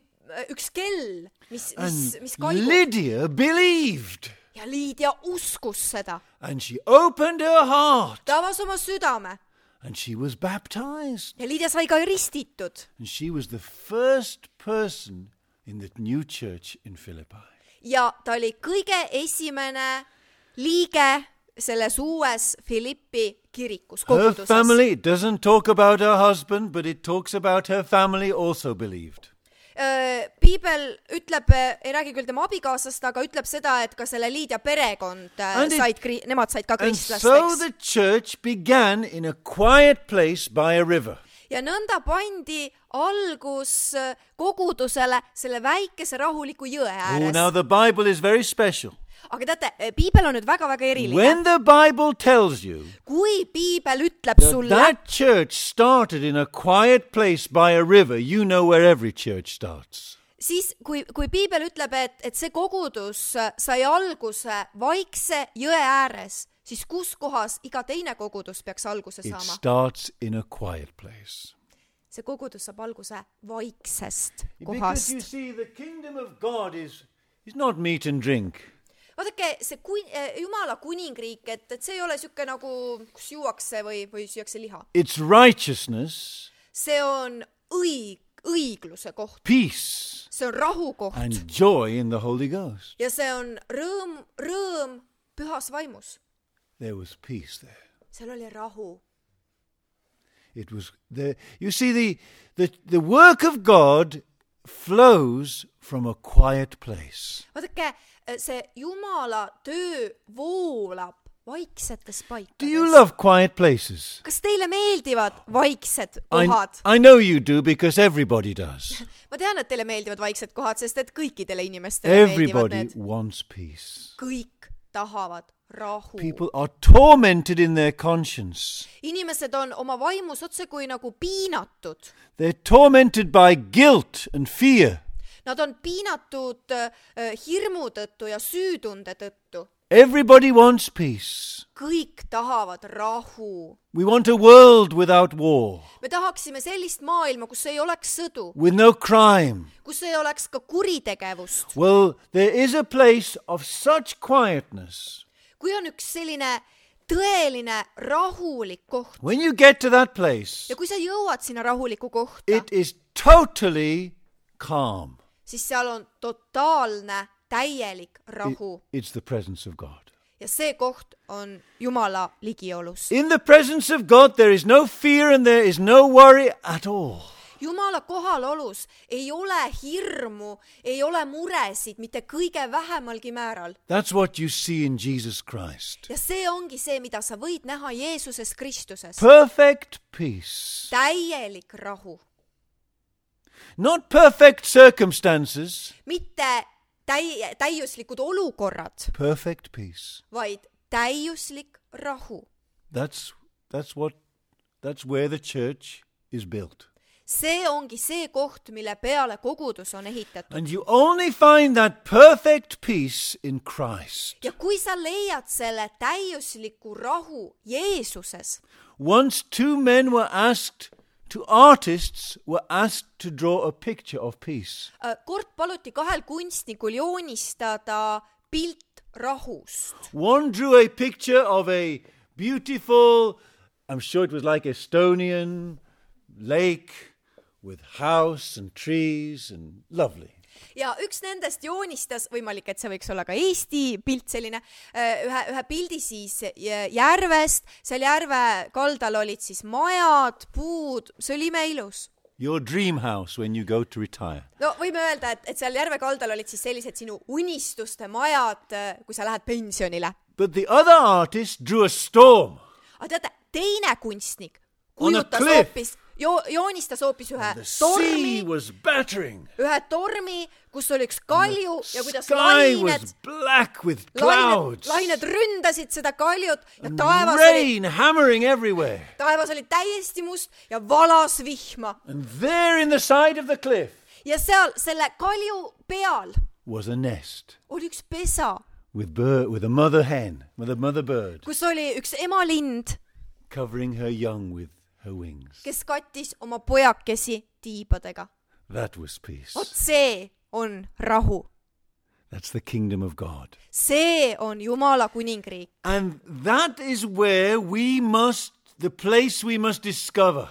üks kell, mis, mis, mis kaigub. Lydia believed. Ja Liidia uskus seda. And she opened her heart. Ta avas oma südame. And she was baptized. Ja Liidia sai ka ristitud. And she was the first person in the new church in Philippi. Ja ta oli kõige esimene liige selles uues Filippi kirikus, Her koguduses. family, it doesn't talk about her husband, but it talks about her family also believed. Piibel ütleb, ei räägi küll tema abikaasast, aga ütleb seda, et ka selle Liidia perekond And it- said, nemad said ka And so kristlasteks. the church began in a quiet place by a river. Ja nõnda pandi algus kogudusele selle väikese rahuliku jõe Oh, now ääres. the Bible is very special. Aga teate, Piibel on nüüd väga-väga eriline. When the Bible tells you Kui Piibel ütleb that sulle, that church started in a quiet place by a river, you know where every church starts. siis kui, kui Piibel ütleb, et, et see kogudus sai alguse vaikse jõe ääres, siis kus kohas iga teine kogudus peaks alguse It saama? starts in a quiet place. See kogudus saab alguse vaiksest Because you kohast. see, the kingdom of God is, is not meat and drink. Vaadake, see kun, Jumala kuningriik, et, et see ei ole siuke nagu, kus juuakse või, või süüakse liha. It's righteousness, See on õig, õigluse koht. peace, See on rahu koht. and joy in the Holy Ghost. Ja see on rõõm, rõõm pühas vaimus. There was peace there. Seal oli rahu. It was there. You see, the, the, the work of God flows from a quiet place. Vaadake, see Jumala töö voolab vaiksetes Do you paikades. love quiet places? Kas teile meeldivad vaiksed I, kohad? I know you do because everybody does. Ma tean, et teile meeldivad vaiksed kohad, sest et kõikidele inimestele meeldivad Everybody need. wants peace. Kõik tahavad rahu. People are tormented in their conscience. Inimesed on oma vaimus otse kui nagu piinatud. They're tormented by guilt and fear. Nad on piinatud äh, hirmu tõttu ja süütunde tõttu. Everybody wants peace. Kõik tahavad rahu. We want a world without war, Me tahaksime sellist maailma, kus ei oleks sõdu, with no crime. kus ei oleks ka kuritegevust. Well, there is a place of such quietness. Kui on üks selline tõeline rahulik koht When you get to that place, ja kui sa jõuad sinna rahuliku kohta, it is totally calm. siis seal on totaalne, täielik It- rahu. it's the presence of God. Ja see koht on Jumala ligiolus. In the presence of God, there is no fear and there is no worry at all. Jumala kohalolus ei ole hirmu, ei ole muresid, mitte kõige vähemalgi määral. That's what you see in Jesus Christ. Ja see ongi see, mida sa võid näha Jeesuses Kristuses. Perfect peace. Täielik rahu. Not perfect circumstances, Mitte täi- täiuslikud olukorrad, perfect peace. vaid täiuslik rahu. That's, that's, what, that's where the church is built. See ongi see koht, mille peale kogudus on ehitatud. And you only find that perfect peace in Christ. Ja kui sa leiad selle täiusliku rahu Jeesuses, Once two men were asked, two artists were asked to draw a picture of peace. kord paluti kahel kunstnikul joonistada pilt rahust. One drew a picture of a beautiful, I'm sure it was like Estonian lake with house and trees and lovely. Ja üks nendest joonistas, võimalik, et see võiks olla ka Eesti pilt selline, ühe, ühe pildi siis järvest, seal järve kaldal olid siis majad, puud, see oli imeilus. Your dream house when you go to retire. No võime öelda, et, et seal järve kaldal olid siis sellised sinu unistuste majad, kui sa lähed pensionile. But the other artist drew a storm. Aga teate, teine kunstnik On a kujutas cliff. hoopis, jo, joonistas hoopis ühe The tormi, sea was battering. ühe tormi, kus oli üks kalju ja kuidas Sky lained, was black with lained, clouds. lained ründasid seda kaljut ja And taevas oli, rain hammering everywhere. taevas oli täiesti must ja valas vihma. And there in the side of the cliff Ja seal selle kalju peal was a nest oli üks pesa, with bird, with a mother hen, with a mother bird, kus oli üks emalind, covering her young with her wings. kes kattis oma pojakesi tiibadega. That was peace. Vot see on rahu. That's the kingdom of God. See on Jumala kuningriik. And that is where we must, the place we must discover.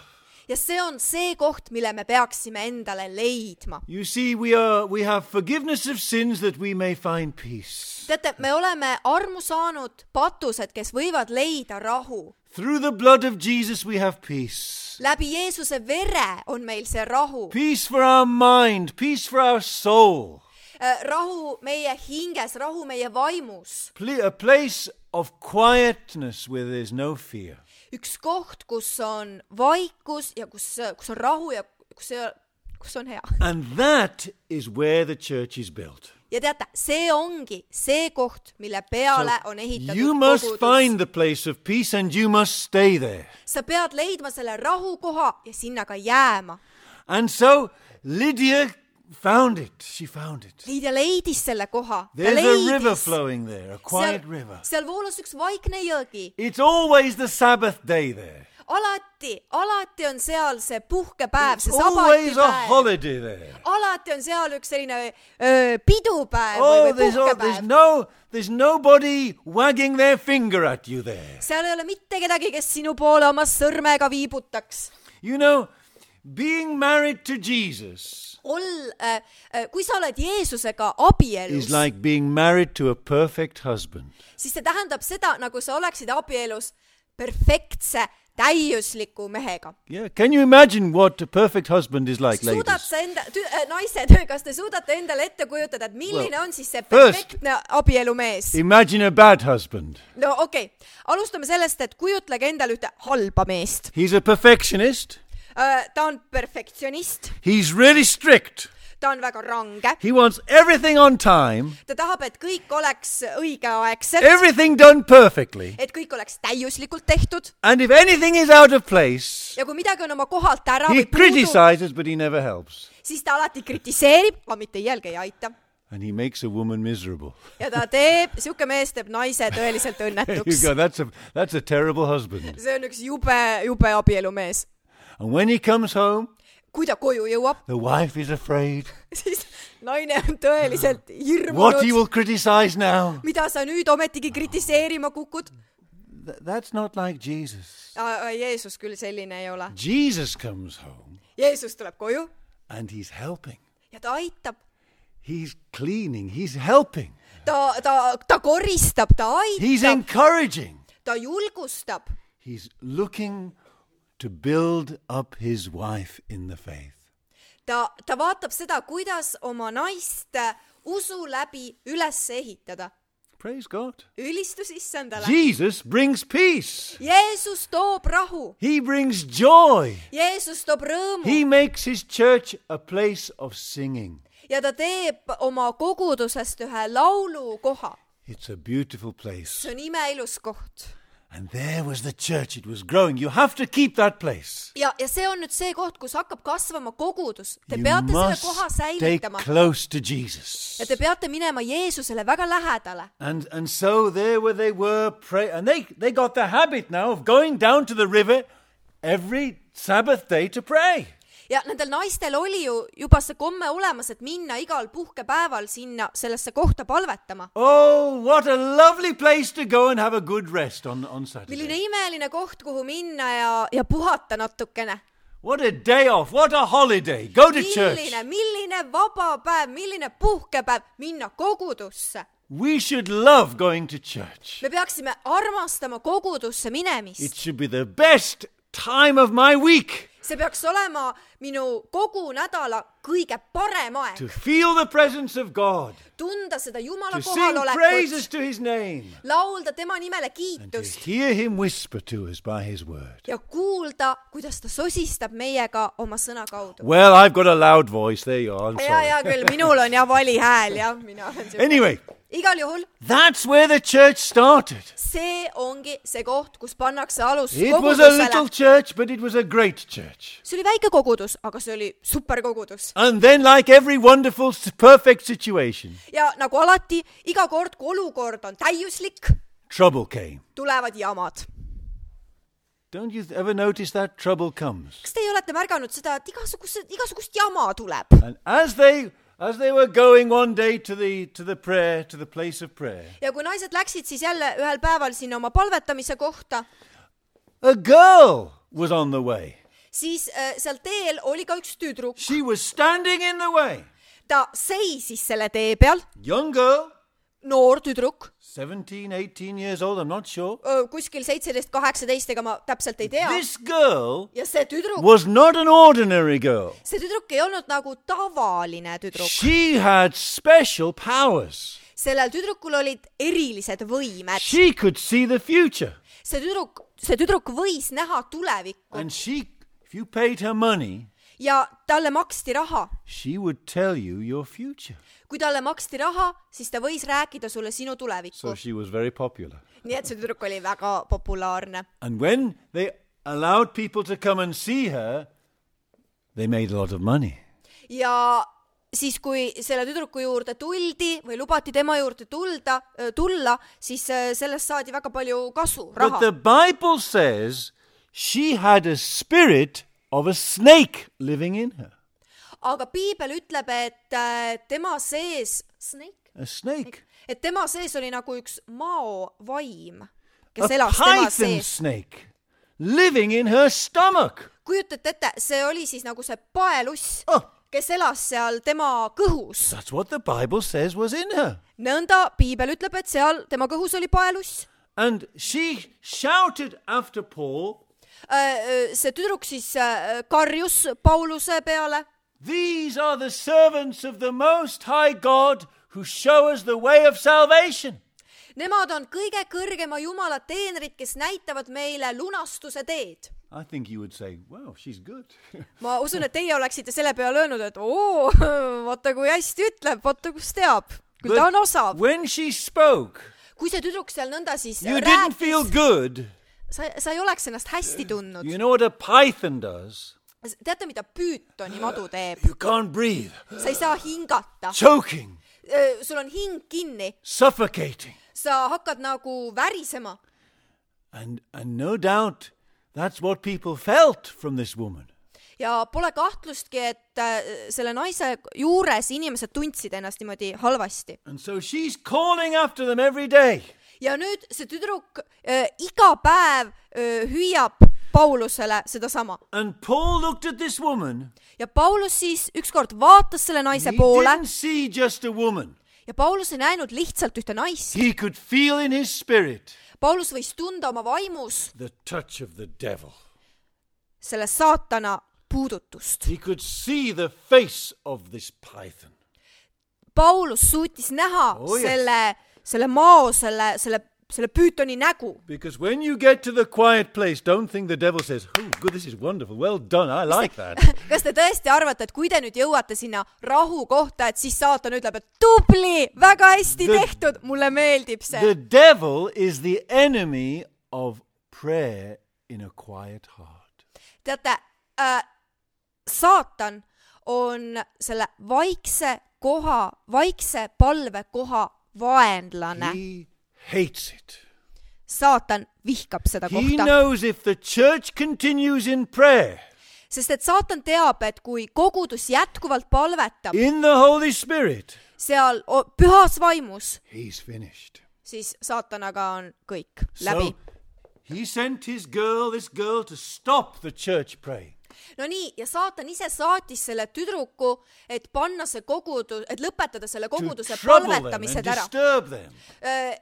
Ja see on see koht, mille me peaksime endale leidma. You see, we are, we have forgiveness of sins that we may find peace. Teate, me oleme armu saanud patused, kes võivad leida rahu. Through the blood of Jesus we have peace. Läbi Jeesuse vere on meil see rahu. Peace for our mind, peace for our soul. Rahu meie hinges, rahu meie vaimus. A place of quietness where there's no fear. Üks koht, kus on vaikus ja kus, kus on rahu ja kus, kus on hea. And that is where the church is built. Ja teate, see ongi see koht, mille peale So on ehitatud you must kogudus. find the place of peace and you must stay there. Sa pead leidma selle rahukoha ja sinna ka jääma. And so Lydia found it. She found it. Liidia leidis selle koha. Ta There's a river leidis. flowing there, a quiet Seal, river. seal voolas üks vaikne jõgi. It's always the Sabbath day there. Alati, alati on seal see puhkepäev, see It's always a sabatipäev. holiday there. Alati on seal üks selline öö, pidupäev Oh, või, või there's, oh, there's puhkepäev. no, there's nobody wagging their finger at you there. Seal ei ole mitte kedagi, kes sinu poole oma sõrmega viibutaks. You know, being married to Jesus Ol, äh, äh, kui sa oled Jeesusega abielus, is like being married to a perfect husband. siis see tähendab seda, nagu sa oleksid abielus perfektse, täiusliku mehega. Yeah, can you imagine what a perfect husband is like, Suudad ladies? sa enda, tü, äh, naised, kas te suudate endale ette kujutada, et milline Well, on siis see first- perfektne abielumees? Imagine a bad husband. No okei, okay. Alustame sellest, et kujutlege endale ühte halba meest. He's a perfectionist. Uh, ta on perfektsionist, He's really strict. ta on väga range, He wants everything on time, ta tahab, et kõik oleks õigeaegselt, everything done perfectly. et kõik oleks täiuslikult tehtud And if anything is out of place, ja kui midagi on oma kohalt ära he või puudu, criticizes, but he never helps. siis ta alati kritiseerib, aga mitte iialgi ei aita. And he makes a woman miserable. Ja ta teeb, siuke mees teeb naise tõeliselt There you õnnetuks. go. That's a, that's a terrible husband. See on üks jube, jube abielumees. And when he comes home, Kui ta koju jõuab, the wife is afraid. siis naine on tõeliselt What he hirmunud. will criticize now. Mida sa nüüd ometigi kritiseerima kukud? Th- that's not like Jesus. Jeesus küll selline ei ole. Jesus comes home Jeesus tuleb koju and he's helping. ja ta aitab. He's cleaning. He's helping. Ta, ta, ta koristab, ta He's aitab, encouraging. ta julgustab. He's looking to build up his wife in the faith. Ta, ta vaatab seda, kuidas oma naist usu läbi üles ehitada. Praise God. Ülistus issandale. Jesus brings peace. Jeesus toob rahu. He brings joy. Jeesus toob rõõmu. He makes his church a place of singing. Ja ta teeb oma kogudusest ühe laulukoha. It's a beautiful place. See on imeilus koht. And there was the church. It was growing. You have to keep that place. Ja, ja see on nüüd see koht, kus hakkab kasvama kogudus. Te You peate selle must koha stay säilitama. close to Jesus. Ja te peate minema Jeesusele väga lähedale. And and so there where they were pray and they they got the habit now of going down to the river every Sabbath day to pray. Ja nendel naistel oli ju juba see komme olemas, et minna igal puhkepäeval sinna sellesse kohta palvetama. Oh, what a lovely place to go and have a good rest on on Saturday. Milline imeline koht, kuhu minna ja, ja puhata natukene. What a day off, what a holiday. Go to church. Milline, milline vaba päev, milline puhkepäev, minna kogudusse. We should love going to church. Me peaksime armastama kogudusse minemist. It should be the best time of my week. See peaks olema minu kogu nädala kõige parem aeg. To feel the presence of God. Tunda seda Jumala To sing praises kohalolekut. to his name. Laulda tema nimele And to kiitust. hear him whisper to us by his word. Ja kuulda, kuidas ta sosistab meiega oma sõna kaudu. Well, I've got a loud voice. There you are. I'm Ja, sorry. ja küll, minul on ja vali hääl, jah, mina olen see. Anyway, igal juhul That's where the church started. see ongi see koht, kus pannakse alus It was a little kogudusele. church, but it was a great church. See oli väike kogudus, aga see oli super kogudus. And then, like every wonderful, s- perfect situation, Ja nagu alati, iga kord, kui olukord on täiuslik, trouble came. tulevad jamad. Don't you ever notice that trouble comes? Kas teie olete märganud seda, et igasugust, igasugust jama tuleb? And as they as they were going one day to the to the prayer, to the place of prayer, Ja kui naised läksid siis jälle ühel päeval sinna oma palvetamise kohta, a girl was on the way. siis äh, seal teel oli ka üks tüdruk. She was standing in the way. Ta seisis selle tee peal, Young girl, noor tüdruk, seventeen, eighteen years old, I'm not sure. öö, kuskil seitseteist, kaheksateist, ega ma täpselt ei tea. This girl Ja see tüdruk, was not an ordinary girl. see tüdruk ei olnud nagu tavaline tüdruk. She had special powers. Sellel tüdrukul olid erilised võimed. She could see the future. See tüdruk, see tüdruk võis näha tulevikku And she, if you paid her money, ja talle maksti raha. she would tell you your future. Kui talle maksti raha, siis ta võis rääkida sulle sinu tulevikku. So she was very popular. Nii et see tüdruk oli väga populaarne. And when they allowed people to come and see her, they made a lot of money. Ja siis, kui selle tüdruku juurde tuldi või lubati tema juurde tulda, tulla, siis sellest saadi väga palju kasu, But raha. the Bible says she had a spirit of a snake living in her. Aga piibel ütleb, et äh, tema sees, snake? A snake. Et tema sees oli nagu üks mao vaim, kes A elas tema python sees. snake living in her stomach. Kujutate ette, see oli siis nagu see paeluss, Oh, kes elas seal tema kõhus. that's what the Bible says was in her. Nõnda piibel ütleb, et seal tema kõhus oli paeluss. And she shouted after Paul, See tüdruk siis äh, karjus Pauluse peale. "These are the servants of the Most High God who show us the way of salvation." Nemad on kõige kõrgema Jumala teenrid, kes näitavad meile lunastuse teed. I think you would say, wow, she's good. Ma usun, et teie oleksite selle peale öelnud, et oo, vaata kui hästi ütleb, vaata kus teab, kui ta on osav. when she spoke, Kui see tüdruk seal nõnda siis you didn't feel rääkis, good. sa, sa ei oleks ennast hästi tundnud. You know what a python does? Teate, mida püütoni madu teeb? You can't breathe. Sa ei saa hingata. Choking, Sul on hing kinni. suffocating. Sa hakkad nagu värisema. And, and no doubt that's what people felt from this woman. Ja pole kahtlustki, et äh, selle naise juures inimesed tundsid ennast niimoodi halvasti. And so she's calling after them every day. Ja nüüd see tüdruk äh, iga päev äh, hüüab Paulusele sedasama. And Paul looked at this woman. Ja Paulus siis ükskord vaatas selle naise He poole didn't see just a woman. ja Paulus ei näinud lihtsalt ühte naist. He could feel in his spirit Paulus võis tunda oma vaimus the touch of the devil. selle saatana puudutust. He could see the face of this python. Paulus suutis näha Oh, yes. selle, selle mao, selle, selle, selle püütoni nägu. Because when you get to the quiet place, don't think the devil says, oh, good, this is wonderful, well done, I like that. Kas te tõesti arvate, et kui te nüüd jõuate sinna rahu kohta, et siis saatan ütleb, et tubli, väga hästi The- tehtud, mulle meeldib see. The devil is the enemy of prayer in a quiet heart. Teate, äh, saatan on selle vaikse koha, vaikse palvekoha vaenlane. He hates it. Saatan vihkab seda He kohta. knows if the church continues in prayer, Sest et saatan teab, et kui kogudus jätkuvalt palvetab in the Holy Spirit, seal o- pühas vaimus, he's finished. siis saatanaga on kõik läbi. So he sent his girl, this girl, to stop the church praying. No nii, ja saatan ise saatis selle tüdruku, et panna see kogudus, et lõpetada selle To koguduse trouble them and palvetamised ära. disturb them.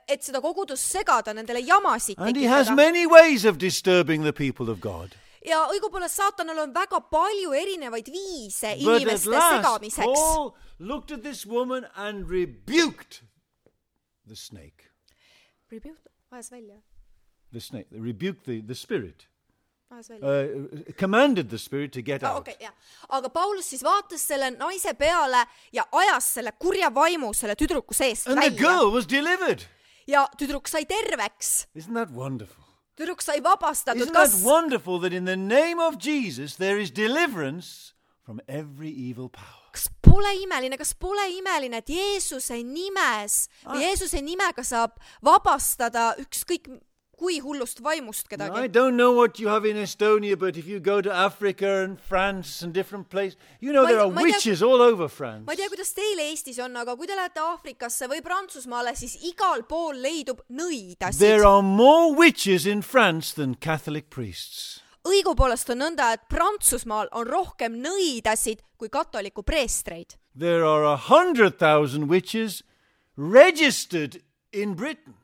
Et seda kogudust segada, nendele jamasid And he has tekitada. many ways of disturbing the people of God. Ja õigupoolest saatanal on väga palju erinevaid viise But at inimeste last, segamiseks. Paul looked at this woman and rebuked the snake. Rebuke, ajas välja. The snake, rebuked the, the spirit. uh, commanded the spirit to get ah, out. okay, jah. Aga Paulus siis vaatas selle naise peale ja ajas selle kurja vaimu selle tüdruku seest And the välja. girl was delivered. Ja tüdruk sai terveks. Isn't that wonderful? Tüdruk sai vabastatud. Isn't Kas, that wonderful that in the name of Jesus there is deliverance from every evil power? kas pole imeline, kas pole imeline, et Jeesuse nimes või Jeesuse nimega saab vabastada ükskõik kui hullust vaimust I kedagi? don't know what you have in Estonia, but if you go to Africa and France and different places, you know Ma ei- there are ma ei tea- witches all over France. Ma ei tea, kuidas teil Eestis on, aga kui te lähete Aafrikasse või Prantsusmaale, siis igal pool leidub nõidasid. There are more witches in France than Catholic priests. Õigupoolest on nõnda, et Prantsusmaal on rohkem nõidasid kui katoliku preestreid. There are a hundred thousand witches registered in Britain.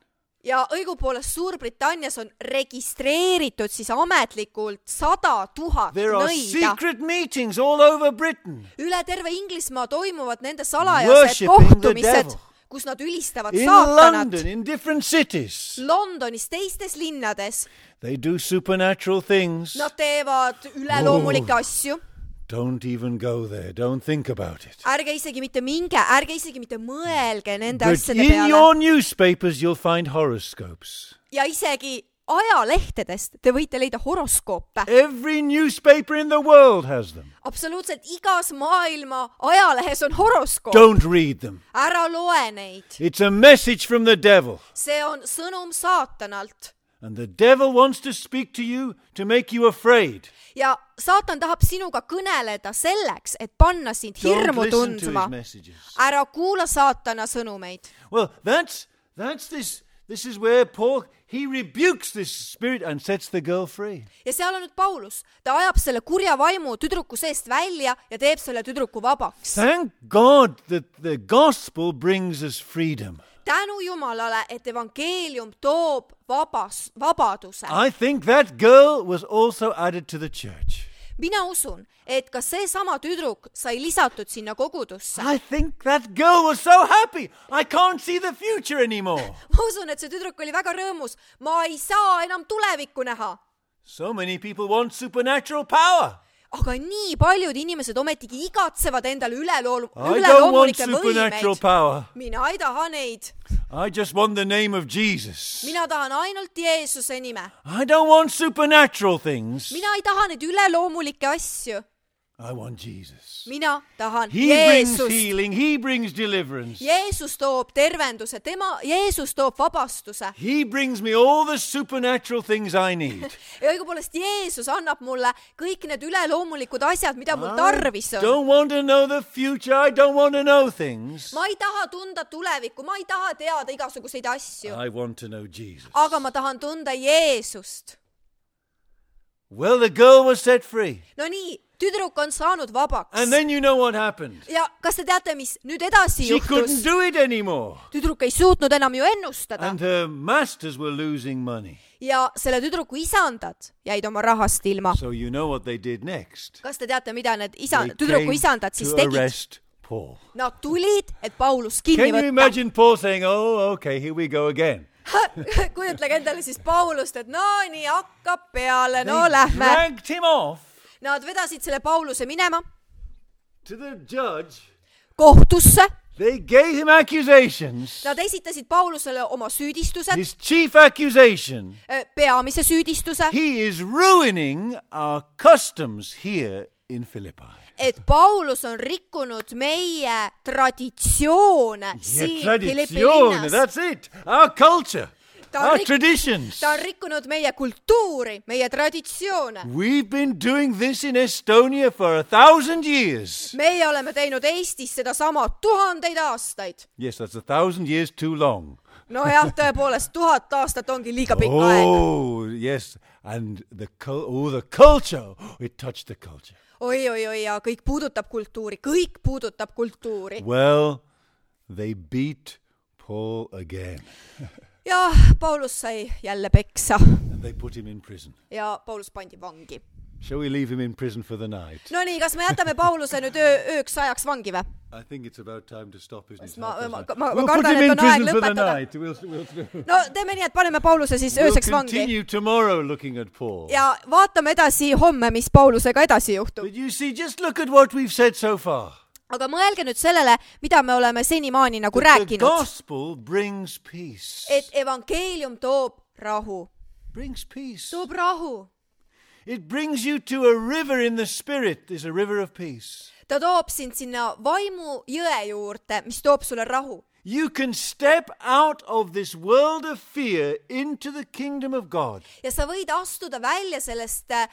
Ja õigupoolest Suurbritannias on registreeritud siis ametlikult sada tuhat There are nõida. secret meetings all over Britain. Üle terve Inglismaa toimuvad nende salajased Worshipping the kohtumised, devil. kus nad ülistavad In saatanat. London, in different cities, Londonis, teistes linnades. they do supernatural things. Nad teevad üleloomulikke asju. Don't even go there. Don't think about it. Ärge isegi mitte minge, ärge isegi mitte mõelge nende But asjade in peale. your newspapers you'll find horoscopes. Ja isegi ajalehtedest te võite leida horoskoope. Every newspaper in the world has them. Absoluutselt igas maailma ajalehes on horoskoop. Don't read them. Ära loe neid. It's a message from the devil. See on sõnum saatanalt. And the devil wants to speak to you to make you afraid. Ja saatan tahab sinuga kõneleda selleks, et panna sind Don't hirmu listen to tundma. his messages. Ära kuula saatana sõnumeid. Well, that's that's this this is where Paul he rebukes this spirit and sets the girl free. Ja seal on nüüd Paulus. Ta ajab selle kurja vaimu tüdruku seest välja ja teeb selle tüdruku vabaks. Thank God that the gospel brings us freedom. Tänu Jumalale, et evangeelium toob vabas, vabaduse. I think that girl was also added to the church. Mina usun, et ka see sama tüdruk sai lisatud sinna kogudusse. I think that girl was so happy. I can't see the future anymore. Ma usun, et see tüdruk oli väga rõõmus. Ma ei saa enam tulevikku näha. So many people want supernatural power. Aga nii paljud inimesed ometigi igatsevad endale ülelool- I don't want üleloomulikke supernatural võimeid. power. Mina ei taha neid. I just want the name of Jesus. Mina tahan ainult Jeesuse nime. I don't want supernatural things. Mina ei taha neid üleloomulikke asju. I want Jesus. Mina tahan He brings Jeesust. healing. He brings deliverance. Jeesus toob tervenduse. Tema, Jeesus toob vabastuse. He brings me all the supernatural things I need. Ja õigupoolest Jeesus annab mulle kõik need üleloomulikud asjad, mida mul I tarvis on. don't want to know the future. I don't want to know things. Ma ei taha tunda tulevikku. Ma ei taha teada igasuguseid asju. I want to know Jesus. Aga ma tahan tunda Jeesust. Well, the girl was set free. No nii, tüdruk on saanud vabaks. And then you know what happened. Ja kas te teate, mis nüüd edasi She couldn't juhtus? do it anymore. Tüdruk ei suutnud enam ju ennustada. And her masters were losing money. Ja selle tüdruku isandad jäid oma rahast ilma. So you know what they did next. Kas te teate, mida need isa, They tüdruku came isandad siis to tegid? arrest Paul. Nad tulid, et Paulus kinni Can you võtta. imagine Paul saying, oh, okay, here we go again. Kujutlege endale siis Paulust, et no nii hakkab peale, no They lähme. dragged him off Nad vedasid selle Pauluse minema to the judge. kohtusse. They gave him accusations. Nad esitasid Paulusele oma süüdistused, His chief accusation. peamise süüdistuse, He is ruining our customs here in Philippi. et Paulus on rikkunud meie traditsioone Yeah, siin tradizione, Filipinas. that's it. Our culture, Ta on our rik- traditions. Ta on rikkunud meie kultuuri, meie traditsioone. We've been doing this in Estonia for a thousand years. Meie oleme teinud Eestis sedasama tuhandeid aastaid. Yes, that's a thousand years too long. No jah, tõepoolest, tuhat aastat ongi liiga pikk aeg. Oh, yes. And the, cul- oh, the culture, it touched the culture. Oi, oi, oi, ja kõik puudutab kultuuri, kõik puudutab kultuuri. Well, they beat Paul again. Ja Paulus sai jälle peksa And they put him in prison. ja Paulus pandi vangi. Shall we leave him in prison for the night? No nii, kas me jätame Pauluse nüüd öö, ööks ajaks vangi või? I think it's about time to stop, isn't it? Ma, ma, ma, We'll ma put kardan, him et in on aeg prison for the lõpetada. night. We'll, we'll, No teeme nii, et paneme Pauluse siis we'll ööseks vangi. continue tomorrow looking at Paul. Ja vaatame edasi homme, mis Paulusega edasi juhtub. But you see, just look at what we've said so far. Aga mõelge nüüd sellele, mida me oleme senimaani nagu The rääkinud. gospel brings peace. Et evangeelium toob rahu. Brings peace. Toob rahu. It brings you to a river in the spirit. There's a river of peace. Ta toob sind sinna vaimu jõe juurde, mis toob sulle rahu. You can step out of this world of fear into the kingdom of God. Ja sa võid astuda välja sellest äh,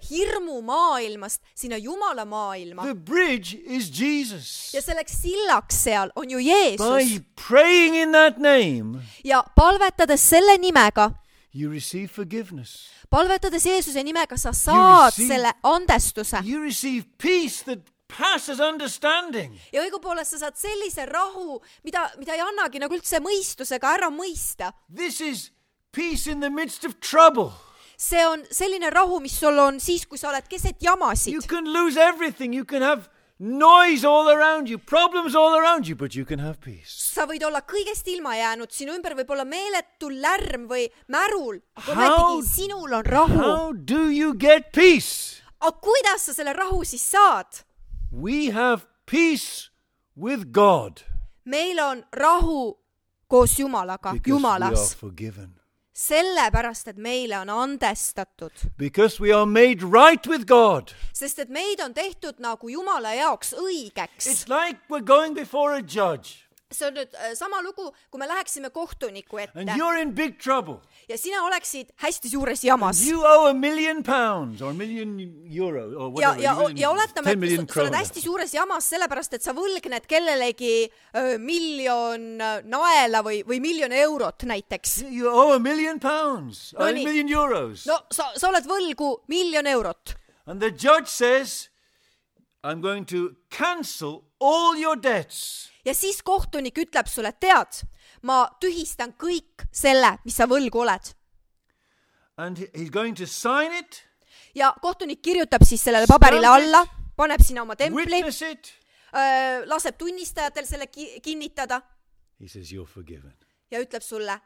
hirmu maailmast sinna Jumala maailma. The bridge is Jesus. Ja selleks sillaks seal on ju Jeesus. By praying in that name, Ja palvetades selle nimega, you receive forgiveness. palvetades Jeesuse nimega, sa saad receive- selle andestuse. You receive peace that passes understanding. Ja õigupoolest sa saad sellise rahu, mida, mida ei annagi nagu üldse mõistusega ära mõista. This is peace in the midst of trouble. See on selline rahu, mis sul on siis, kui sa oled keset You jamasid. can lose everything. You can have noise all around you, problems all around you, but you can have peace. Sa võid olla kõigest ilma jäänud, sinu ümber võib olla meeletu lärm või märul, aga How- ometigi sinul on rahu. How do you get peace? Aga kuidas sa selle rahu siis saad? We have peace with God Meil on rahu koos Jumalaga, because we are Jumalas. forgiven. Sellepärast, et meile on andestatud. Because we are made right with God. Sest et meid on tehtud nagu Jumala jaoks õigeks. It's like we're going before a judge See on nüüd äh, sama lugu, kui me läheksime kohtuniku ette and you're in big trouble. ja sina oleksid hästi suures jamas. You owe a million pounds or a million euro or Ja, whatever. ja, million- ja oletame, ten et million sa, sa oled kroner. hästi suures jamas sellepärast, et sa võlgned kellelegi öö, miljon öö, naela või, või miljon eurot näiteks. You owe a million pounds or No a nii. million euros. No sa, sa oled võlgu miljon eurot. And the judge says, I'm going to cancel all your debts. Ja siis kohtunik ütleb sulle, tead, ma tühistan kõik selle, mis sa võlgu oled. And he- he's going to sign it, Ja kohtunik kirjutab siis sellele paberile Stamp it. alla, paneb sinna oma templi, witness it. öö, laseb tunnistajatel selle ki- kinnitada He says, you're forgiven. ja ütleb sulle,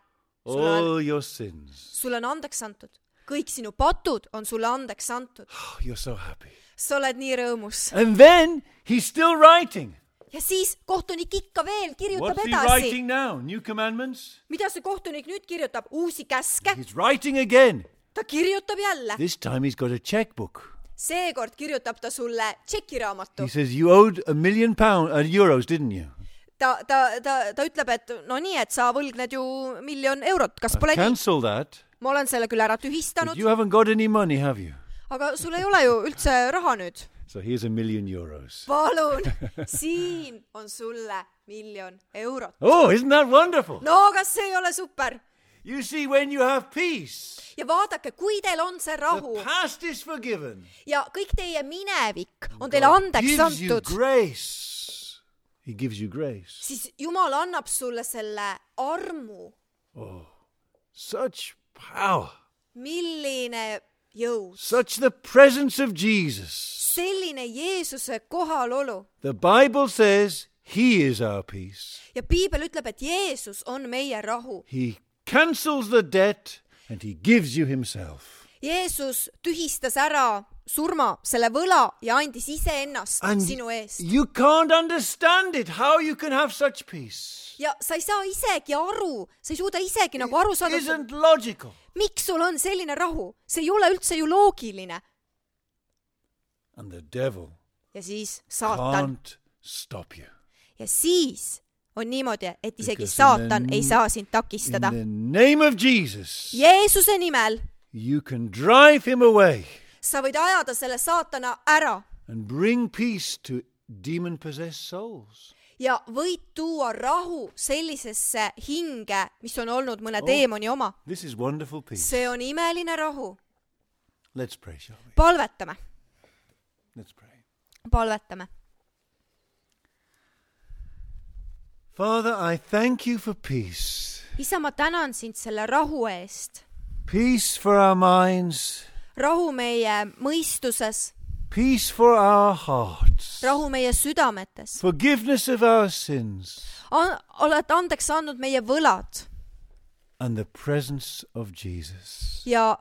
sulle on, All your sins. sulle on andeks antud. Kõik sinu patud on sulle andeks antud. Oh, you're so happy. Sa oled nii rõõmus. And then he's still writing. Ja siis kohtunik ikka veel kirjutab What's he edasi. writing now? New commandments? Mida see kohtunik nüüd kirjutab? Uusi käske. He's writing again. Ta kirjutab jälle. This time he's got a checkbook. Seekord kirjutab ta sulle tšekiraamatu. He says, you owed a million pound, uh, euros, didn't you? Ta, ta, ta, ta ütleb, et no nii, et sa võlgned ju miljon eurot. Kas pole nii? Cancel that. Ma olen selle küll ära But tühistanud, you haven't got any money, have you? aga sul ei ole ju üldse raha nüüd. So here's a million euros. Palun, siin on sulle miljon eurot. Oh, isn't that wonderful? No kas see ei ole super? You see, when you have peace, Ja vaadake, kui teil on see rahu the past is forgiven. ja kõik teie minevik on teile God andeks gives you antud, grace. He gives you grace. siis Jumal annab sulle selle armu. Such power. Milline jõud. Such the presence of Jesus. Selline Jeesuse kohalolu. The Bible says he is our peace. Ja Piibel ütleb, et Jeesus on meie rahu. He cancels the debt and he gives you himself. Jeesus tühistas ära surma, selle võla ja andis iseennast And sinu eest. you can't understand it, how you can have such peace. Ja sa ei saa isegi aru, sa ei suuda isegi nagu aru saada, Isn't logical. miks sul on selline rahu. See ei ole üldse ju loogiline. And the devil Ja siis saatan. can't stop you. Ja siis on niimoodi, et isegi Because saatan in the- ei saa sind takistada. In the name of Jesus, Jeesuse nimel you can drive him away sa võid ajada selle saatana ära and bring peace to demon-possessed souls. ja võid tuua rahu sellisesse hinge, mis on olnud mõne teemoni oma. This is wonderful peace. See on imeline rahu. Let's pray, shall we? Palvetame, Let's pray. palvetame. Father, I thank you for peace. Isa, ma tänan sind selle rahu eest. Peace for our minds. Rahu meie mõistuses, Peace for our hearts. rahu meie südametes. forgiveness of our sins, An- oled andeks andnud meie võlad and the presence of Jesus. ja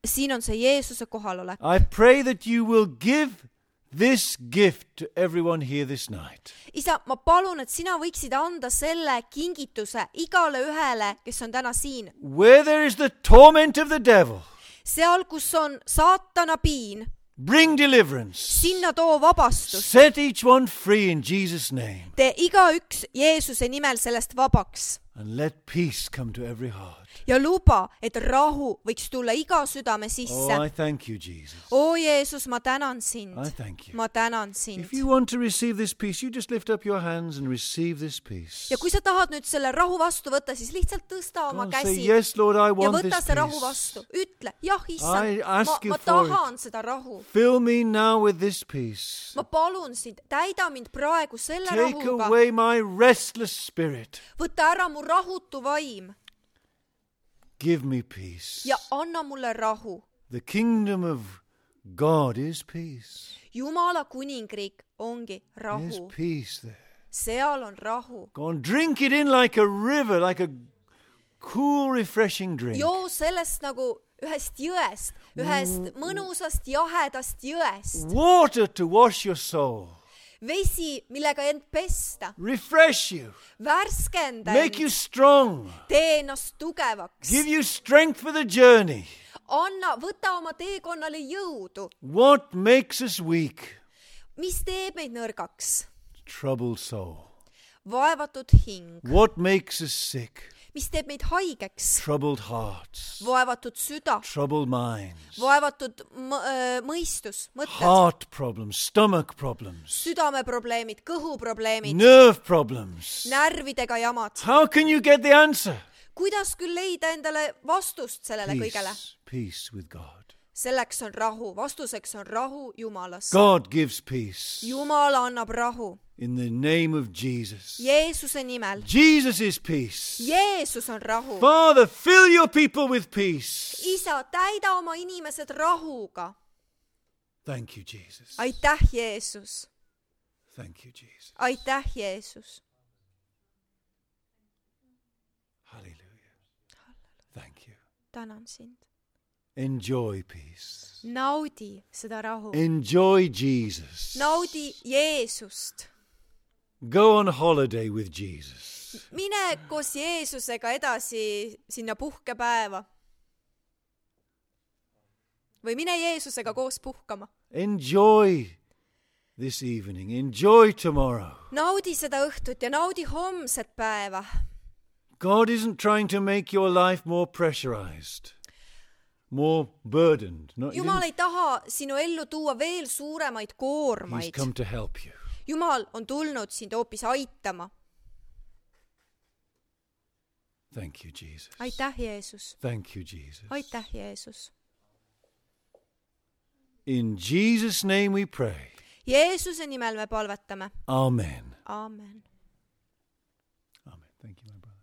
siin on see Jeesuse kohalolek. I pray that you will give this gift to everyone here this night. Isa, ma palun, et sina võiksid anda selle kingituse igale ühele, kes on täna siin. Where there is the torment of the devil, Seal, kus on saatana piin, bring deliverance. sinna too vabastus. Set each one free in Jesus' name. Tee igaüks Jeesuse nimel sellest vabaks And let peace come to every heart. ja luba, et rahu võiks tulla iga südame Oh, sisse. I thank you, Jesus. O Jeesus, ma tänan sind. I thank you. Ma tänan sind. If you want to receive this peace, you just lift up your hands and receive this peace. Ja kui sa tahad nüüd selle rahu vastu võtta, siis lihtsalt tõsta oma Go and say, käsi yes, Lord, I ja want võta this see rahu peace. vastu. Ütle, jah, I issand, ma, ask you ma for tahan seda rahu. Fill me now with this peace. Ma palun sind, täida mind praegu selle Take rahuga. away my restless spirit. Võta ära mu rahutu vaim Give me peace. ja anna mulle rahu. The kingdom of God is peace. Jumala kuningriik ongi There's rahu. peace there. Seal on rahu. Go and drink it in like a river, like a cool, refreshing drink. Joo sellest nagu ühest jõest, ühest mõnusast jahedast jõest. Water to wash your soul. Vesi, millega end pesta. Refresh you. Värskenda Make you end. strong. Tee ennast tugevaks. Give you strength for the journey. Anna, võta oma teekonnale jõudu. What makes us weak? Mis teeb meid nõrgaks? Troubled soul. Vaevatud hing. What makes us sick? Mis teeb meid haigeks? Troubled hearts. Vaevatud süda. Troubled minds. Vaevatud m- äh, mõistus, mõtted. Heart problems. Stomach problems. Südameprobleemid, kõhuprobleemid, Nerve problems. närvidega jamad. How can you get the answer? Kuidas küll leida endale vastust sellele kõigele? Peace. Peace with God. Selleks on rahu, vastuseks on rahu Jumalas. God gives peace. Jumal annab rahu In the name of Jesus. Jeesuse nimel. Jesus is peace. Jeesus on rahu. Father, fill your people with peace. Isa, täida oma inimesed rahuga. Thank you, Jesus. Aitäh, Jeesus. Thank you, Jesus. Aitäh, Jeesus. Hallelujah. Thank you. Tänan sind. Enjoy peace. Naudi seda rahu. Enjoy Jesus. Naudi Jeesust. Go on holiday with Jesus. Mine koos Jeesusega edasi sinna puhkepäeva. Või mine Jeesusega koos puhkama. Enjoy this evening. Enjoy tomorrow. Naudi seda õhtut ja naudi homset päeva. God isn't trying to make your life more pressurized, more burdened. No, he Jumal didn't- ei taha sinu ellu tuua veel suuremaid He's koormaid. come to help you. Jumal on tulnud sind hoopis aitama. Thank you, Jesus. Aitäh, Jeesus. Thank you, Jesus. Aitäh, Jeesus. In Jesus' name we pray. Jeesuse nimel me palvetame. Amen. Aamen. Amen. Thank you, my brother.